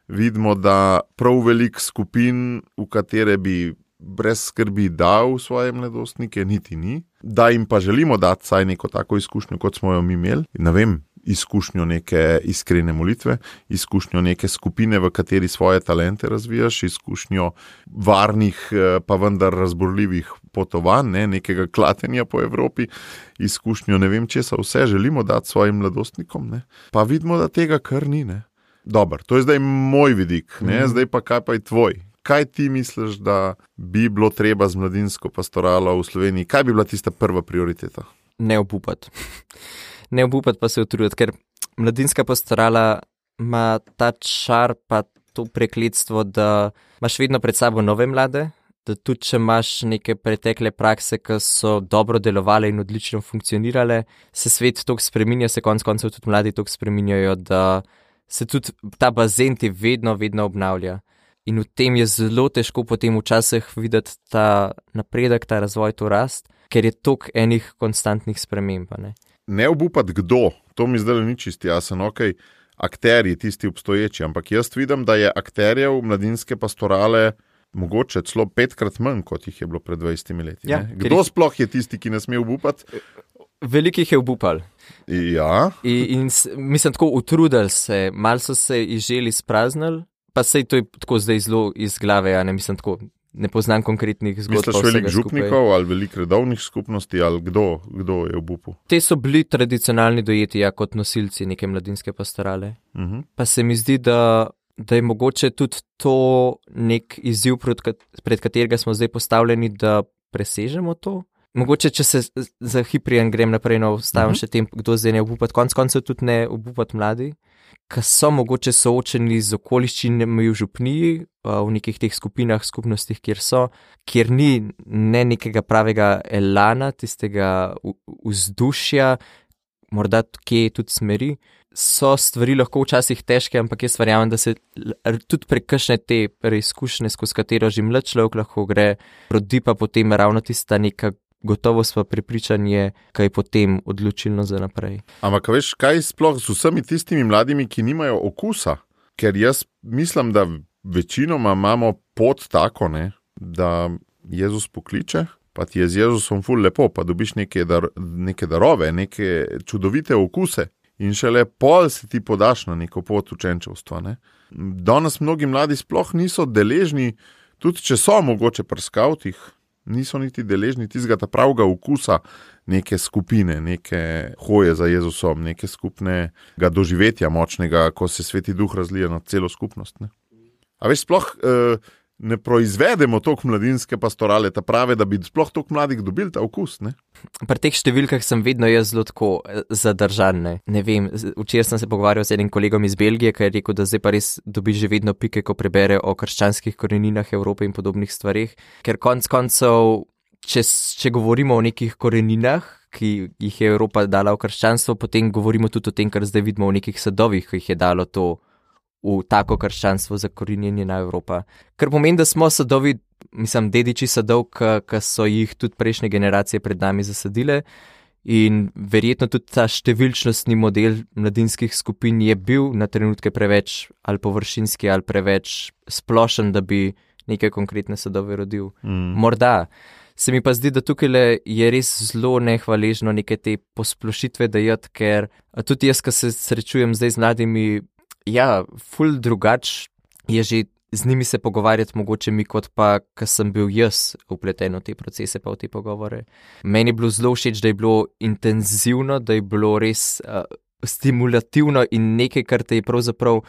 vidimo, da prav veliko skupin, v katere bi brez skrbi dal svoje mladostnike, niti ni. Da jim pa želimo dati saj neko tako izkušnjo, kot smo jo mi imeli. Ne vem, izkušnjo neke iskrene molitve, izkušnjo neke skupine, v kateri svoje talente razvijaš, izkušnjo varnih, pa vendar razborljivih potovanj, nekega klatenja po Evropi, izkušnjo ne vem česa vse želimo dati svojim mladostnikom, ne. Pa vidimo, da tega kar ni. Dobar, to je zdaj moj vidik, zdaj pa kaj pa je tvoj? Kaj ti misliš, da bi bilo treba z mladinsko pastoralo v Sloveniji? Kaj bi bila tista prva prioriteta? Ne obupati. Ne obupati pa se utruditi, ker mladinska pastorala ima ta čar pa to prekletstvo, da imaš vedno pred sabo nove mlade, da tudi če imaš neke pretekle prakse, ki so dobro delovale in odlično funkcionirale, se svet toliko spreminja, se konec koncev tudi mladi toliko spreminjajo, da se tudi ta bazen ti vedno obnavlja. In v tem je zelo težko potem včasih videti ta napredek, ta razvoj, to rast, ker je toliko enih konstantnih sprememb. Ne obupati kdo, to mi zdaj ni čisti jasen, okej, akterji, tisti obstoječi, ampak jaz vidim, da je akterjev mladinske pastorale mogoče celo 5krat manj, kot jih je bilo pred 20 leti. Ja, kdo sploh je tisti, ki ne sme obupati? Velikih je obupal. Ja. In mislim, tako utrudili se, malo so se izželi spraznili, pa sej to je tako zdaj zelo iz glave, ne mislim tako, ne poznam konkretnih zgodb. Misliš veliko župnikov ali veliko redovnih skupnosti ali kdo je obupal? Te so bili tradicionalni dojeti kot nosilci neke mladinske pastorale. Pa se mi zdi, da je mogoče tudi to nek izziv, pred katerega smo zdaj postavljeni, da presežemo to. Mogoče, če se za hiprijan grem naprej, ostavim še tem, kdo zdaj ne obupati, konc koncev tudi ne obupati mladi, ki so mogoče soočeni z okoliščinami v župniji, v nekih teh skupinah, skupnostih, kjer ni ne nekega pravega elana, tistega vzdušja, morda kje tudi smeri. So stvari lahko včasih težke, ampak jaz verjamem, da se tudi prek kakšne te preizkušnje, skozi katero že mlad človek lahko gre, rodi pa potem ravno tista neka gotovost pa prepričanje, kaj je potem odločilno za naprej. Ampak veš, kaj sploh z vsemi tistimi mladimi, ki nimajo okusa? Ker jaz mislim, da večinoma imamo pot tako, ne, da Jezus pokliče, pa ti je z Jezusom ful lepo, pa dobiš neke darove, neke čudovite okuse. In šele pol se ti podaš na neko pot učenčevstva. Ne? Danes mnogi mladi sploh niso deležni, tudi če so mogoče pri skavtih, niso niti deležni tistega pravega okusa neke skupine, neke hoje za Jezusom, neke skupnega doživetja močnega, ko se Sveti Duh razlije na celo skupnost. Ne? A veš, sploh ne proizvedemo toliko mladinske pastorale, ta prave, da bi sploh toliko mladih dobili ta okus, ne? Pri teh številkah sem vedno jaz zelo tako zadržan, ne vem, včeraj sem se pogovarjal z enim kolegom iz Belgije, ki je rekel, da zdaj pa res dobi že vedno pike, ko prebere o krščanskih koreninah Evrope in podobnih stvarih, ker konc koncev, če govorimo o nekih koreninah, ki jih je Evropa dala v krščanstvo, potem govorimo tudi o tem, kar zdaj vidimo v nekih sadovih, ki jih je dalo to v tako krščanstvo zakorenjeni na Evropa. Kar pomeni, da smo sadovi, dediči sadov, ki so jih tudi prejšnje generacije pred nami zasadile in verjetno tudi ta številčnostni model mladinskih skupin je bil na trenutke preveč ali površinski ali preveč splošen, da bi neke konkretne sadove rodil. Morda. Se mi pa zdi, da tukaj je res zelo nehvaležno neke te posplošitve dajati, ker tudi jaz, ki se srečujem zdaj z mladimi, ful drugač je že z njimi se pogovarjati mogoče mi, kot pa, ko sem bil jaz vpleten v te procese pa v te pogovore. Meni je bilo zelo všeč, da je bilo intenzivno, da je bilo res stimulativno in nekaj, kar te je pravzaprav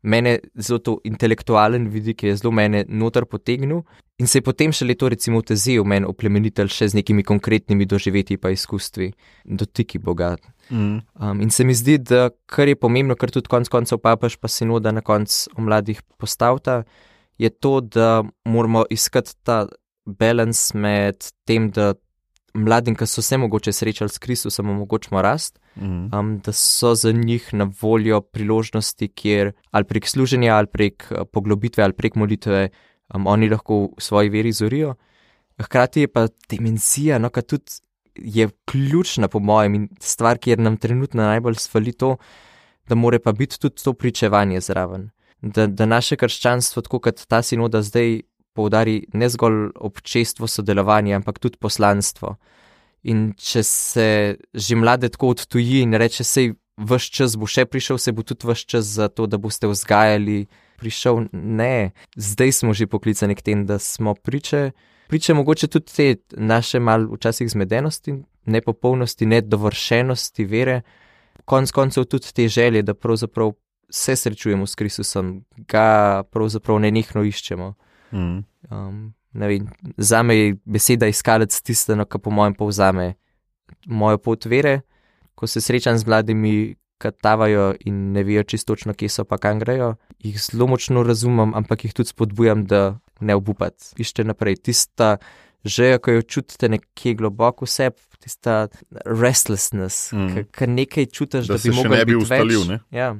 mene zelo to intelektualen vidik je zelo mene noter potegnil in se je potem šele to recimo vtezel meni oplemenitelj še z nekimi konkretnimi doživetji pa izkustvi, dotiki Boga. In se mi zdi, da kar je pomembno, kar tudi konc koncev papež pa sinoda na konc o mladih postavta, je to, da moramo iskati ta balans med tem, da mladim, ki so se mogoče srečali s Kristusom, omogočimo rast, da so za njih na voljo priložnosti, kjer ali prek služenja, ali prek poglobitve, ali prek molitve oni lahko v svoji veri zorijo. Hkrati je pa dimenzija, ki tudi je ključna po mojem in stvar, kjer nam trenutno najbolj svali to, da more pa biti tudi to pričevanje zraven. Da naše krščanstvo, tako kot ta sinoda zdaj poudari ne zgolj občestvo sodelovanja, ampak tudi poslanstvo. In če se že mlade tako odtuji in reče, sej vaš čas bo še prišel, se bo tudi vaš čas za to, da boste vzgajali prišel, ne. Zdaj smo že poklicani k tem, da smo priče mogoče tudi te naše mal včasih zmedenosti, nepopolnosti, nedovršenosti vere, konc koncev tudi te želje, da pravzaprav se srečujemo s Kristusom, ga pravzaprav nenehno iščemo. Ne vem, zame je beseda iskalec tisteno, ki po mojem povzame mojo pot vere, ko se srečam z mladimi, ki tavajo in ne vejo čistočno, kje so pa kam grejo, jih zelo močno razumem, ampak jih tudi spodbujam, da ne obupati. Išče naprej, tista želja, ko jo čutite nekje globoko v sebi, tista restlessness, ki nekaj čutiš, da bi mogel biti ustalil, več. Ne? Ja.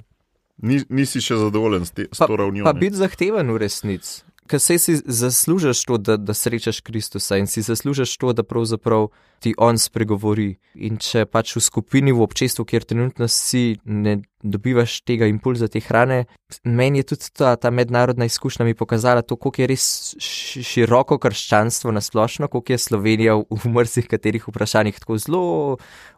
Nisi še zadovoljen s to ravnjo. Pa biti zahteven v resnici. Ker si zaslužiš to, da srečaš Kristusa in si zaslužiš to, da pravzaprav ti on spregovori. In če pač v skupini, v občestvu, kjer trenutno si, ne dobivaš tega impulza, te hrane, meni je tudi ta mednarodna izkušnja mi pokazala to, koliko je res široko krščanstvo nasplošno, koliko je Slovenija v mrzih katerih vprašanjih tako zelo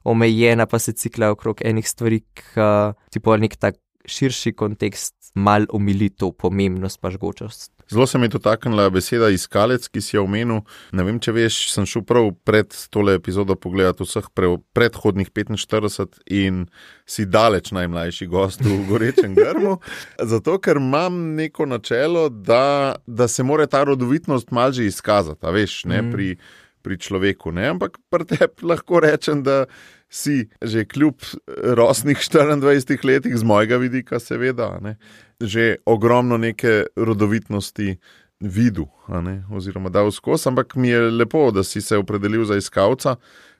omejena, pa se cikla okrog enih stvari, ki pa nek tak širši kontekst mal omili to pomembnost pa žgočost. Zelo se mi je dotaknila beseda iskalec, ki si jo omenil. Ne vem, če veš, sem šel prav pred tole epizodo pogledati vseh predhodnih 45 in si daleč najmlajši gost v Gorečem grmu, zato ker imam neko načelo, da se mora ta rodovitnost malo že izkazati, a veš, ne, pri človeku, ne? Ampak pri tebi lahko rečem, da si že kljub rosnih 24 letih, z mojega vidika seveda, ne? Že ogromno neke rodovitnosti videl, oziroma dal skozi, ampak mi je lepo, da si se opredelil za iskalca.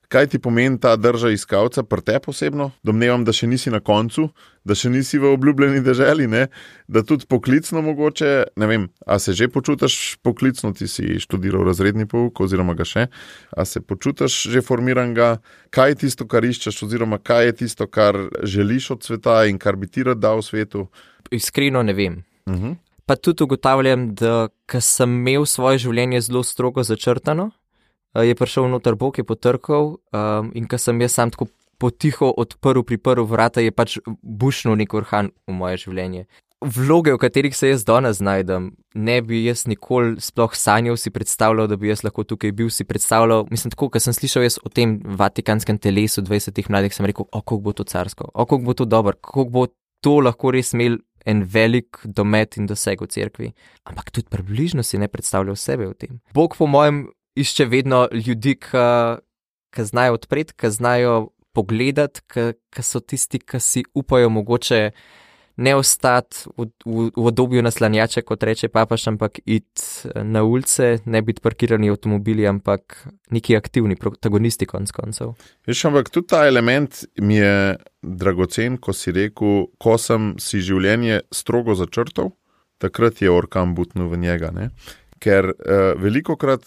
Kaj ti pomeni ta drža iskalca pri tebi osebno? Domnevam, da še nisi na koncu, da še nisi v obljubljeni deželi, ne? Da tudi poklicno mogoče, ne vem, a se že počutiš poklicno, ti si študiral razredni pouk oziroma ga še, a se počutiš že formiranega, kaj je tisto, kar iščeš oziroma kaj je tisto, kar želiš od sveta in kar bi ti rad dal v svetu? Iskreno ne vem. Pa tudi ugotavljam, da ko sem imel svoje življenje zelo strogo začrtano, je prišel noter Bog, je potrkal in ko sem jaz sam tako potiho priprl vrata, je pač bušnil nek orkan v moje življenje. Vloge, v katerih se jaz danes znajdem, ne bi jaz nikoli sploh sanjal si predstavljal, da bi jaz lahko tukaj bil, si predstavljal, mislim tako, ko sem slišal jaz o tem vatikanskem telesu 20 mladih, sem rekel, kako bo to carsko, kako bo to dobro, kako bo to lahko res imel en velik domet in doseg v cerkvi. Ampak tudi približno si ne predstavljal sebe v tem. Bog po mojem išče vedno ljudi, ki znajo odpreti, ki znajo pogledati, ki so tisti, ki si upajo mogoče ne ostati v obdobju naslanjača, kot reče papaš, ampak iti na ulice, ne biti parkirani avtomobili, ampak neki aktivni protagonisti konc koncev. Veš, ampak tudi ta element mi je dragocen, ko si rekel, ko sem si življenje strogo začrtal, takrat je orkan butnil v njega, ne? Ker velikokrat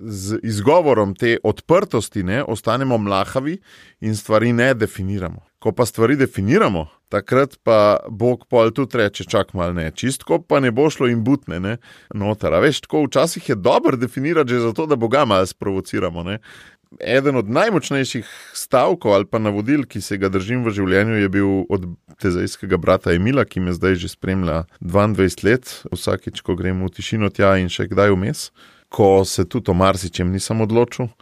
z izgovorom te odprtosti ostanemo mlahavi in stvari ne definiramo. Ko pa stvari definiramo, takrat pa Bog pol tudi reče, čak mal ne, čistko pa ne bo šlo in butne, noter. A veš, tako včasih je dobro definirati že zato, da Boga malo sprovociramo, ne. Eden od najmočnejših stavkov ali pa navodil, ki se ga držim v življenju, je bil od tezejskega brata Emila, ki me zdaj že spremlja 22 let, vsakič, ko grem v tišino tja in še kdaj vmes, ko se tudi o marsičem nisem odločil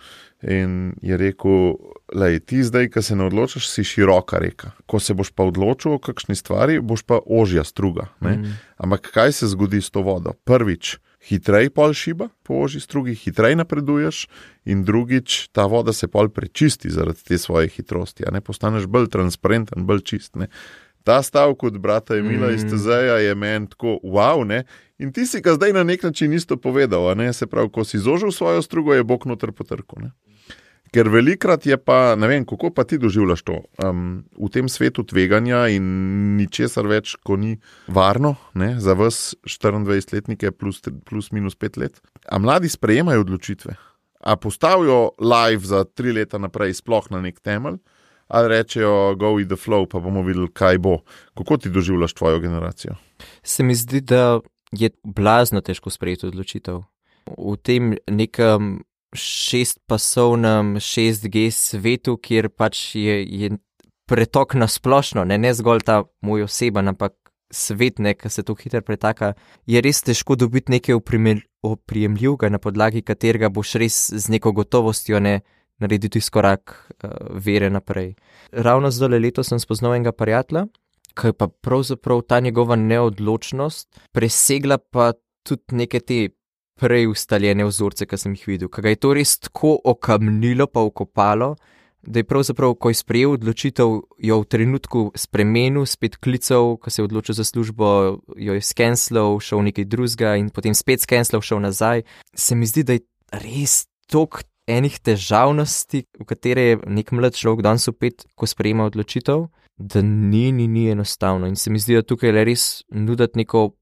in je rekel, lej, ti zdaj, ko se ne odločiš, si široka reka. Ko se boš pa odločil o kakšni stvari, boš pa ožja struga. Ampak kaj se zgodi s to vodo? Prvič, hitrej pol šiba po ožji strugi, hitrej napreduješ in drugič, ta voda se pol prečisti zaradi te svoje hitrosti, postaneš bolj transparenten, bolj čist, Ta stavek od brata Emila iz Tezeja je meni tako, wow, in ti si ga zdaj na nek način isto povedal, se pravi, ko si zožil svojo strugo, je Bog noter potrkal, Ker velikrat je pa, ne vem, kako pa ti doživljaš to, v tem svetu tveganja in ničesar več, ko ni varno, za vas 24-letnike plus minus 5 let. A mladi sprejemajo odločitve? A postavijo live za 3 leta naprej sploh na nek temelj? Ali rečejo go with the flow, pa bomo videli, kaj bo. Kako ti doživljaš tvojo generacijo? Se mi zdi, da je blazno težko sprejeti odločitev. V tem nekem 6-pasovnem 6G svetu, kjer pač je pretok na splošno, ne zgolj ta moj oseben, ampak svet, ki se to hitro pretaka, je res težko dobiti nekaj oprijemljivega, na podlagi katerega boš res z neko gotovostjo narediti izkorak vere naprej. Ravno zdaj leto sem spoznal enega prijatelja, ki je pa pravzaprav ta njegova neodločnost presegla pa tudi neke te prej ustaljene vzorce, ki sem jih videl. Kaj ga je to res tako okamnilo pa okopalo, da je pravzaprav, ko je sprejel odločitev, jo v trenutku spremenil, spet klical, ko se je odločil za službo, jo je skenslal, šel nekaj drugega in potem spet skenslal, šel nazaj. Se mi zdi, da je res toliko enih težavnosti, v katere je nek mlad človek danes upet, ko sprejema odločitev, da ni enostavno. In se mi zdi, da tukaj je res nuditi neko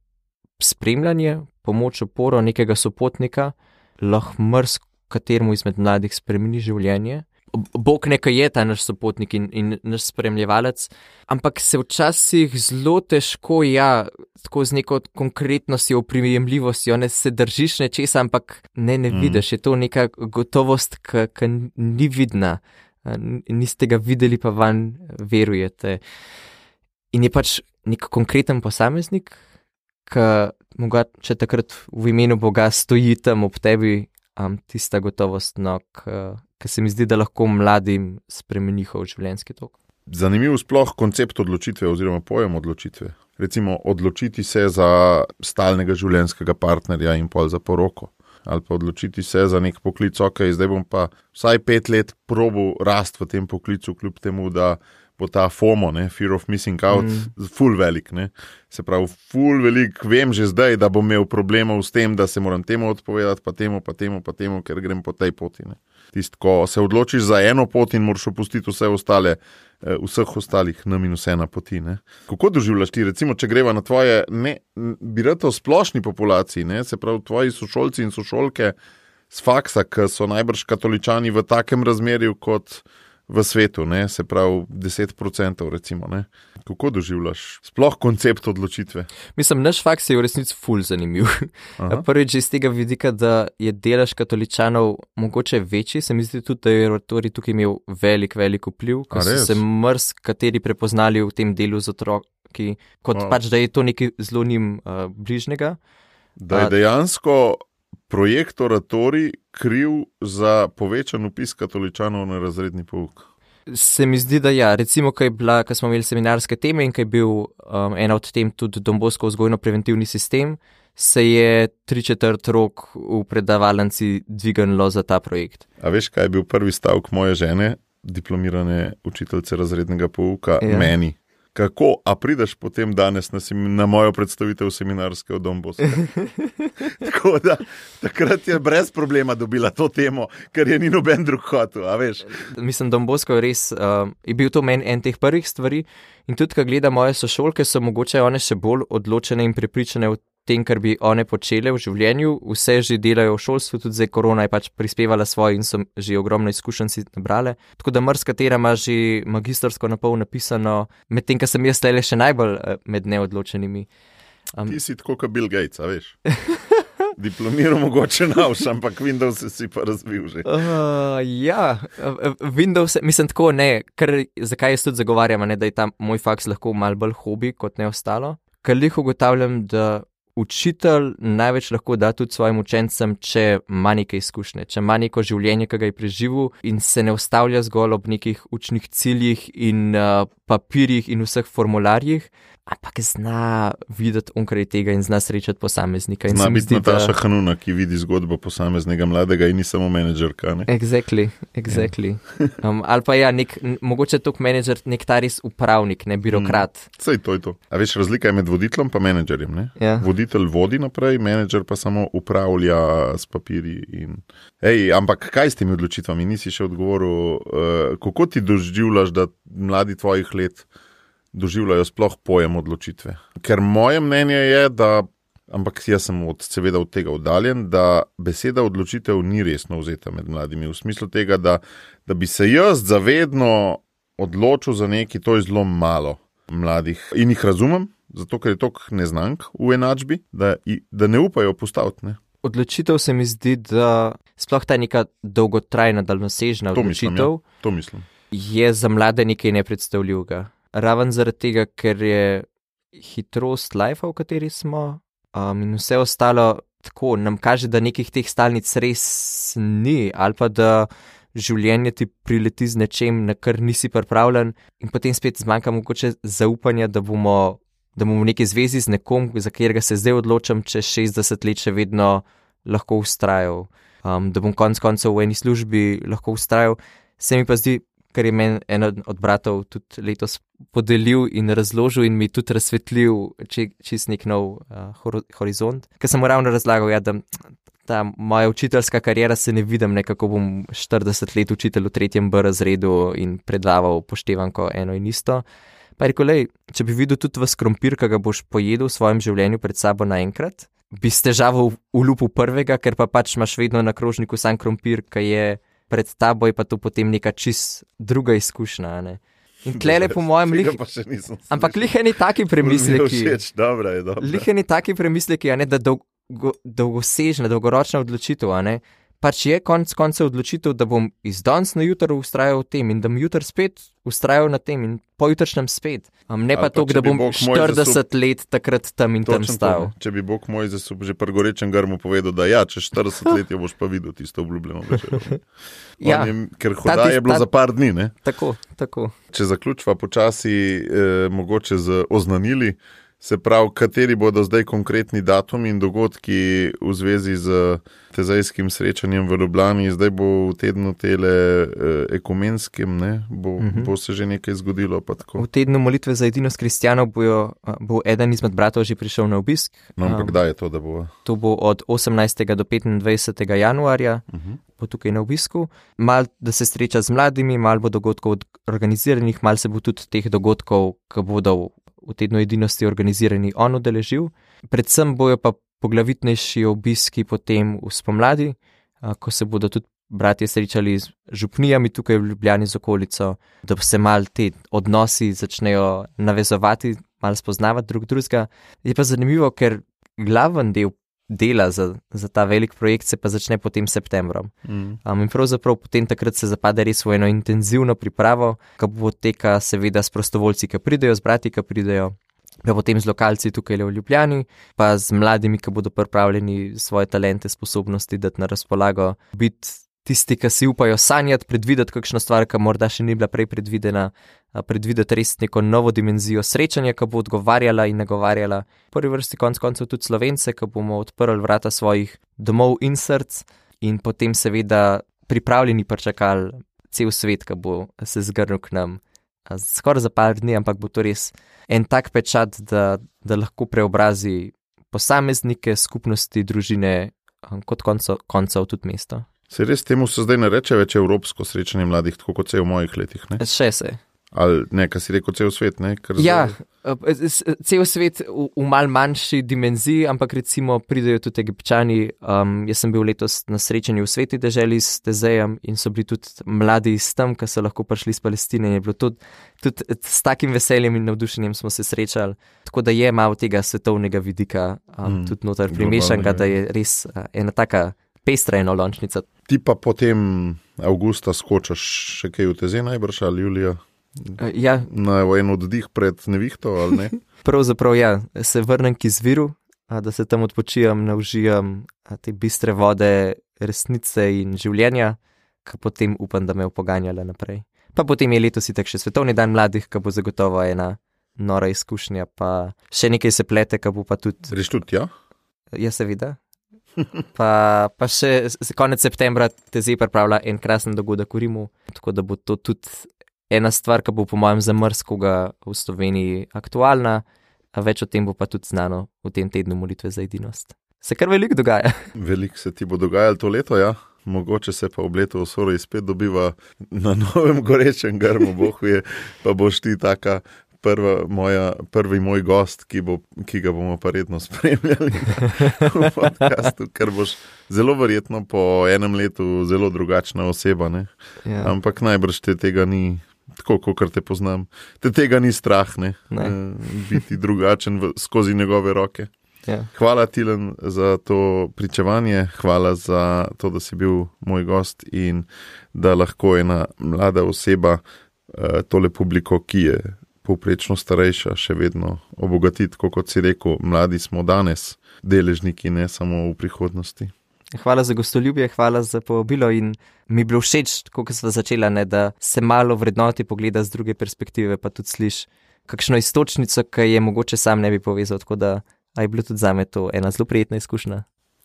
spremljanje, pomoč, oporo, nekega sopotnika, lahko kateremu izmed mladih spremeni življenje. Bog nekaj je ta naš sopotnik in naš spremljevalec, ampak se včasih zelo težko, tako z neko konkretnostjo, oprijemljivostjo, se držiš nečesa, ampak ne vidiš, je to neka gotovost, ki ni vidna, niste ga videli, pa van verujete. In je pač nek konkreten posameznik, ki mogoče takrat v imenu Boga stoji tam ob tebi, tista gotovost, ki se mi zdi, da lahko mladim spremeni njihov življenjski tok. Zanimiv sploh koncept odločitve oziroma pojem odločitve. Recimo odločiti se za stalnega življenjskega partnerja in pol za poroko. ali pa odločiti se za nek poklic, ok, zdaj bom pa vsaj 5 let probal rast v tem poklicu, kljub temu, da bo ta FOMO, fear of missing out, ful velik. Se pravi, ful velik, vem že zdaj, da bom imel problemov s tem, da se moram temu odpovedati, pa temu, ker grem po tej poti. Tist, ko se odločiš za eno pot in moraš opustiti vse ostale, vseh ostalih -1 poti. Kako doživljaš ti, recimo, če greva na tvoje, bi rekel, splošni populaciji, se pravi, tvoji sošolci in sošolke z faksa, ki so najbrž katoličani v takem razmerju kot v svetu, se pravi 10%, recimo. Kako doživljaš sploh koncept odločitve? Mislim, naš faks je v resnici ful zanimiv. Prvič iz tega vidika, da je delež katoličanov mogoče večji, se mi zdi tudi, da je oratorij tukaj imel velik vpliv, ko so se kateri prepoznali v tem delu z otroki, kot pač, da je to nekaj zelo njim bližnjega. Da je dejansko projekt oratorij kriv za povečan vpis katoličanov na razredni pouk. Se mi zdi, da ja. Recimo, ko smo imeli seminarske teme in ko je bil ena od tem tudi Don Bosco vzgojno-preventivni sistem, se je 3/4 rok v predavalnici dvignilo za ta projekt. A veš, kaj je bil prvi stavek moje žene, diplomirane učiteljice razrednega pouka, meni? Kako, a prideš potem danes na mojo predstavitev seminarske v Don Bosco? Tako da, takrat je brez problema dobila to temo, ker je ni noben drug hotel, a veš? Mislim, Don Bosco je res, je bil to meni en teh prvih stvari in tudi, ko gledam moje sošolke, so mogoče one še bolj odločene in prepričane v tem, kar bi one počele v življenju, vse že delajo v šolstvu, tudi zdaj korona je pač prispevala svoje in so že ogromno izkušenj si nabrale. Tako da marsikatera ima že magistrsko napol napisano, medtem, ko sem jaz tele še najbolj med neodločenimi. Ti si tako kot Bill Gates, a veš? Diplomiral mogoče navš, ampak Windows si pa razvil že. Ja, Windows, mislim tako ne, zakaj jaz tudi zagovarjam, da je ta moj faks lahko malo bolj hobi kot ne ostalo. Ker lih ugotavljam, da učitelj največ lahko da tudi svojim učencem, če ima neke izkušnje, če ima neko življenje, ki ga je preživel in se ne ustavlja zgolj ob nekih učnih ciljih in papirjih in vseh formularjih, ampak zna videti onkraj tega in zna srečati posameznika. Zna biti Nataša Hanuna, ki vidi zgodbo posameznega mladega in ni samo menedžerka, ne? Exactly. Ali pa ja, mogoče tok menedžer, nek ta res upravnik, ne birokrat. Sej to je to. A veš, razlika je med voditeljem pa menedžerjem, ne? Ja. Voditelj vodi naprej, menedžer pa samo upravlja s papirji in... ampak kaj s temi odločitvami? Nisi še odgovoril, kako ti doživljaš, da mladi tvojih let doživljajo sploh pojem odločitve. Ker moje mnenje je, da, ampak jaz sem seveda od tega oddaljen, da beseda odločitev ni resno vzeta med mladimi. V smislu tega, da bi se jaz zavedno odločil za nekaj, to je zelo malo mladih. In jih razumem, zato ker je toliko neznank v enačbi, da ne upajo postaviti, ne. Odločitev se mi zdi, da sploh ta neka dolgotrajna, daljnosežna odločitev to mislim. Je za mlade nekaj nepredstavljivega. Raven zaradi tega, ker je hitrost lifea, v kateri smo, in vse ostalo tako, nam kaže, da nekih teh stalnic res ni, ali pa da življenje ti prileti z nečem, na kar nisi pripravljen in potem spet zmanjka mogoče zaupanja, da bomo v neki zvezi z nekom, za katerega se zdaj odločam, čez 60 let še vedno lahko vztrajal, da bom konec koncev v eni službi lahko vztrajal. Se mi pa zdi, ker je meni en od bratov tudi letos podelil in razložil in mi tudi razsvetlil čist nek nov horizont. Ker sem mu ravno razlagal, da ta moja učiteljska kariera se ne vidim, nekako bom 40 let učitelj v 3. B razredu in predaval poštevanko eno in isto. Pa je rekel, če bi videl tudi vas krompir, ki ga boš pojedel v svojem življenju pred sabo naenkrat, bi s težavo ulupil prvega, ker pa pač imaš vedno na krožniku sam krompir, ki je pred tabo, je pa to potem neka čist druga izkušnja, ne. In tlele po mojem ampak liheni taki premisleki. Liheni taki premisleki, da dolgosežna, dolgoročna odločitev, ne. Pač je konec koncev odločitev, da bom iz danes na jutro vztrajal v tem in da bom jutr spet vztrajal na tem in pojutrišnjem spet. Ne pa to, da bom 40 let takrat tam in tam stal. Če bi Bog moj že pri gorečem grmu povedal, da ja, čez 40 let jo boš pa videl tisto obljubljeno večer. Ker hoda je bilo za par dni, ne? Tako. Če zaključva počasi mogoče z oznanili, Se pravi, kateri bodo zdaj konkretni datumi in dogodki v zvezi z tezajskim srečanjem v Ljubljani, zdaj bo v tednu tele ekumenskim, ne? Bo se že nekaj zgodilo? Pa tako. V tednu molitve za edinost kristjanov bo eden izmed bratov že prišel na obisk. No, ampak kdaj je to, da bo? To bo od 18. do 25. januarja, bo tukaj na obisku. Mal, da se sreča z mladimi, mal bo dogodkov organiziranih, mal se bo tudi teh dogodkov, ki bodo v tednu edinosti organizirani, on udeležil. Predvsem bojo pa poglavitnejši obiski potem v spomladi, ko se bodo tudi bratje srečali z župnijami tukaj v Ljubljani z okolico, da se mal te odnosi začnejo navezovati, mal spoznavati drugega. Je pa zanimivo, ker glaven del dela za ta velik projekt se pa začne potem septembrom. In pravzaprav potem takrat se zapade res v eno intenzivno pripravo, ki bo poteka seveda s prostovoljci, ki pridejo, z brati, ki pridejo, pa potem z lokalci tukaj v Ljubljani, pa z mladimi, ki bodo pripravljeni svoje talente, sposobnosti dati na razpolago, biti tisti, ki si upajo sanjati, predvideti kakšno stvar, ki morda še ni bila prej predvidena, predvideti res neko novo dimenzijo srečanja, ki bo odgovarjala in nagovarjala. V prvi vrsti konc koncev tudi Slovence, ki bomo odprli vrata svojih domov in src in potem seveda pripravljeni pričakali cel svet, ki bo se zgrnil k nam. Skoraj za par dni, ampak bo to res en tak pečat, da lahko preobrazi posameznike, skupnosti, družine, kot koncev tudi mesto. Se res temu se zdaj ne reče več evropsko srečanje mladih, tako kot se je v mojih letih, ne? Še se. Ali ne, kaj si rekel, cel svet, ne? Ja, cel svet v mal manjši dimenziji, ampak recimo pridejo tudi Egipčani. Jaz sem bil letos na srečanju v Sveti deželi s Tezejem in so bili tudi mladi iz tam, ki so lahko prišli iz Palestine. Je bilo tudi s takim veseljem in navdušenjem smo se srečali. Tako da je malo tega svetovnega vidika tudi noter primešanega, da je res ena taka pestra enolončnica. Ti pa potem avgusta skočaš še kaj v Tezej najbrž ali julija? Ja. Na en oddih pred nevihto ali ne? Pravzaprav ja, se vrnem k izviru, da se tam odpočijem, naužijam te bistre vode resnice in življenja, ki potem upam, da me upoganjala naprej. Pa potem je letos itak še svetovni dan mladih, ki bo zagotovo ena nora izkušnja, pa še nekaj se plete, ki bo pa tudi... Greš tudi, ja? Ja, seveda. Pa še konec septembra Tezej pripravlja en krasen dogodek v Rimu, tako da bo to tudi ena stvar, ki bo po mojem za marsikoga v Sloveniji aktualna, a več o tem bo pa tudi znano v tem tednu molitve za edinost. Se kar veliko dogaja. Veliko se ti bo dogajalo to leto, ja. Mogoče se pa ob letu v Soroji spet dobiva na novem gorečem grmu, bohuje, pa boš ti taka prvi moj gost, ki ga bomo pa redno spremljali v podcastu, ker boš zelo verjetno po enem letu zelo drugačna oseba, ne? Ja. Ampak najbrž te tega ni, tako kot te poznam, te tega ni strah, ne? Biti drugačen skozi njegove roke. Ja. Hvala Tilen za to pričevanje, hvala za to, da si bil moj gost in da lahko ena mlada oseba tole publiko, ki je povprečno starejša, še vedno obogatiti, kot si rekel, mladi smo danes deležniki, ne samo v prihodnosti. Hvala za gostoljubje, hvala za povabilo in mi je bilo všeč, kot sva začela, ne, da se malo vrednoti pogleda z druge perspektive, pa tudi sliš kakšno istočnico, ki je mogoče sam ne bi povezal, tako da je bilo tudi zame to ena zelo prijetna izkušnja.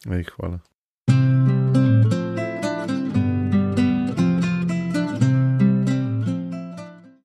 Hvala.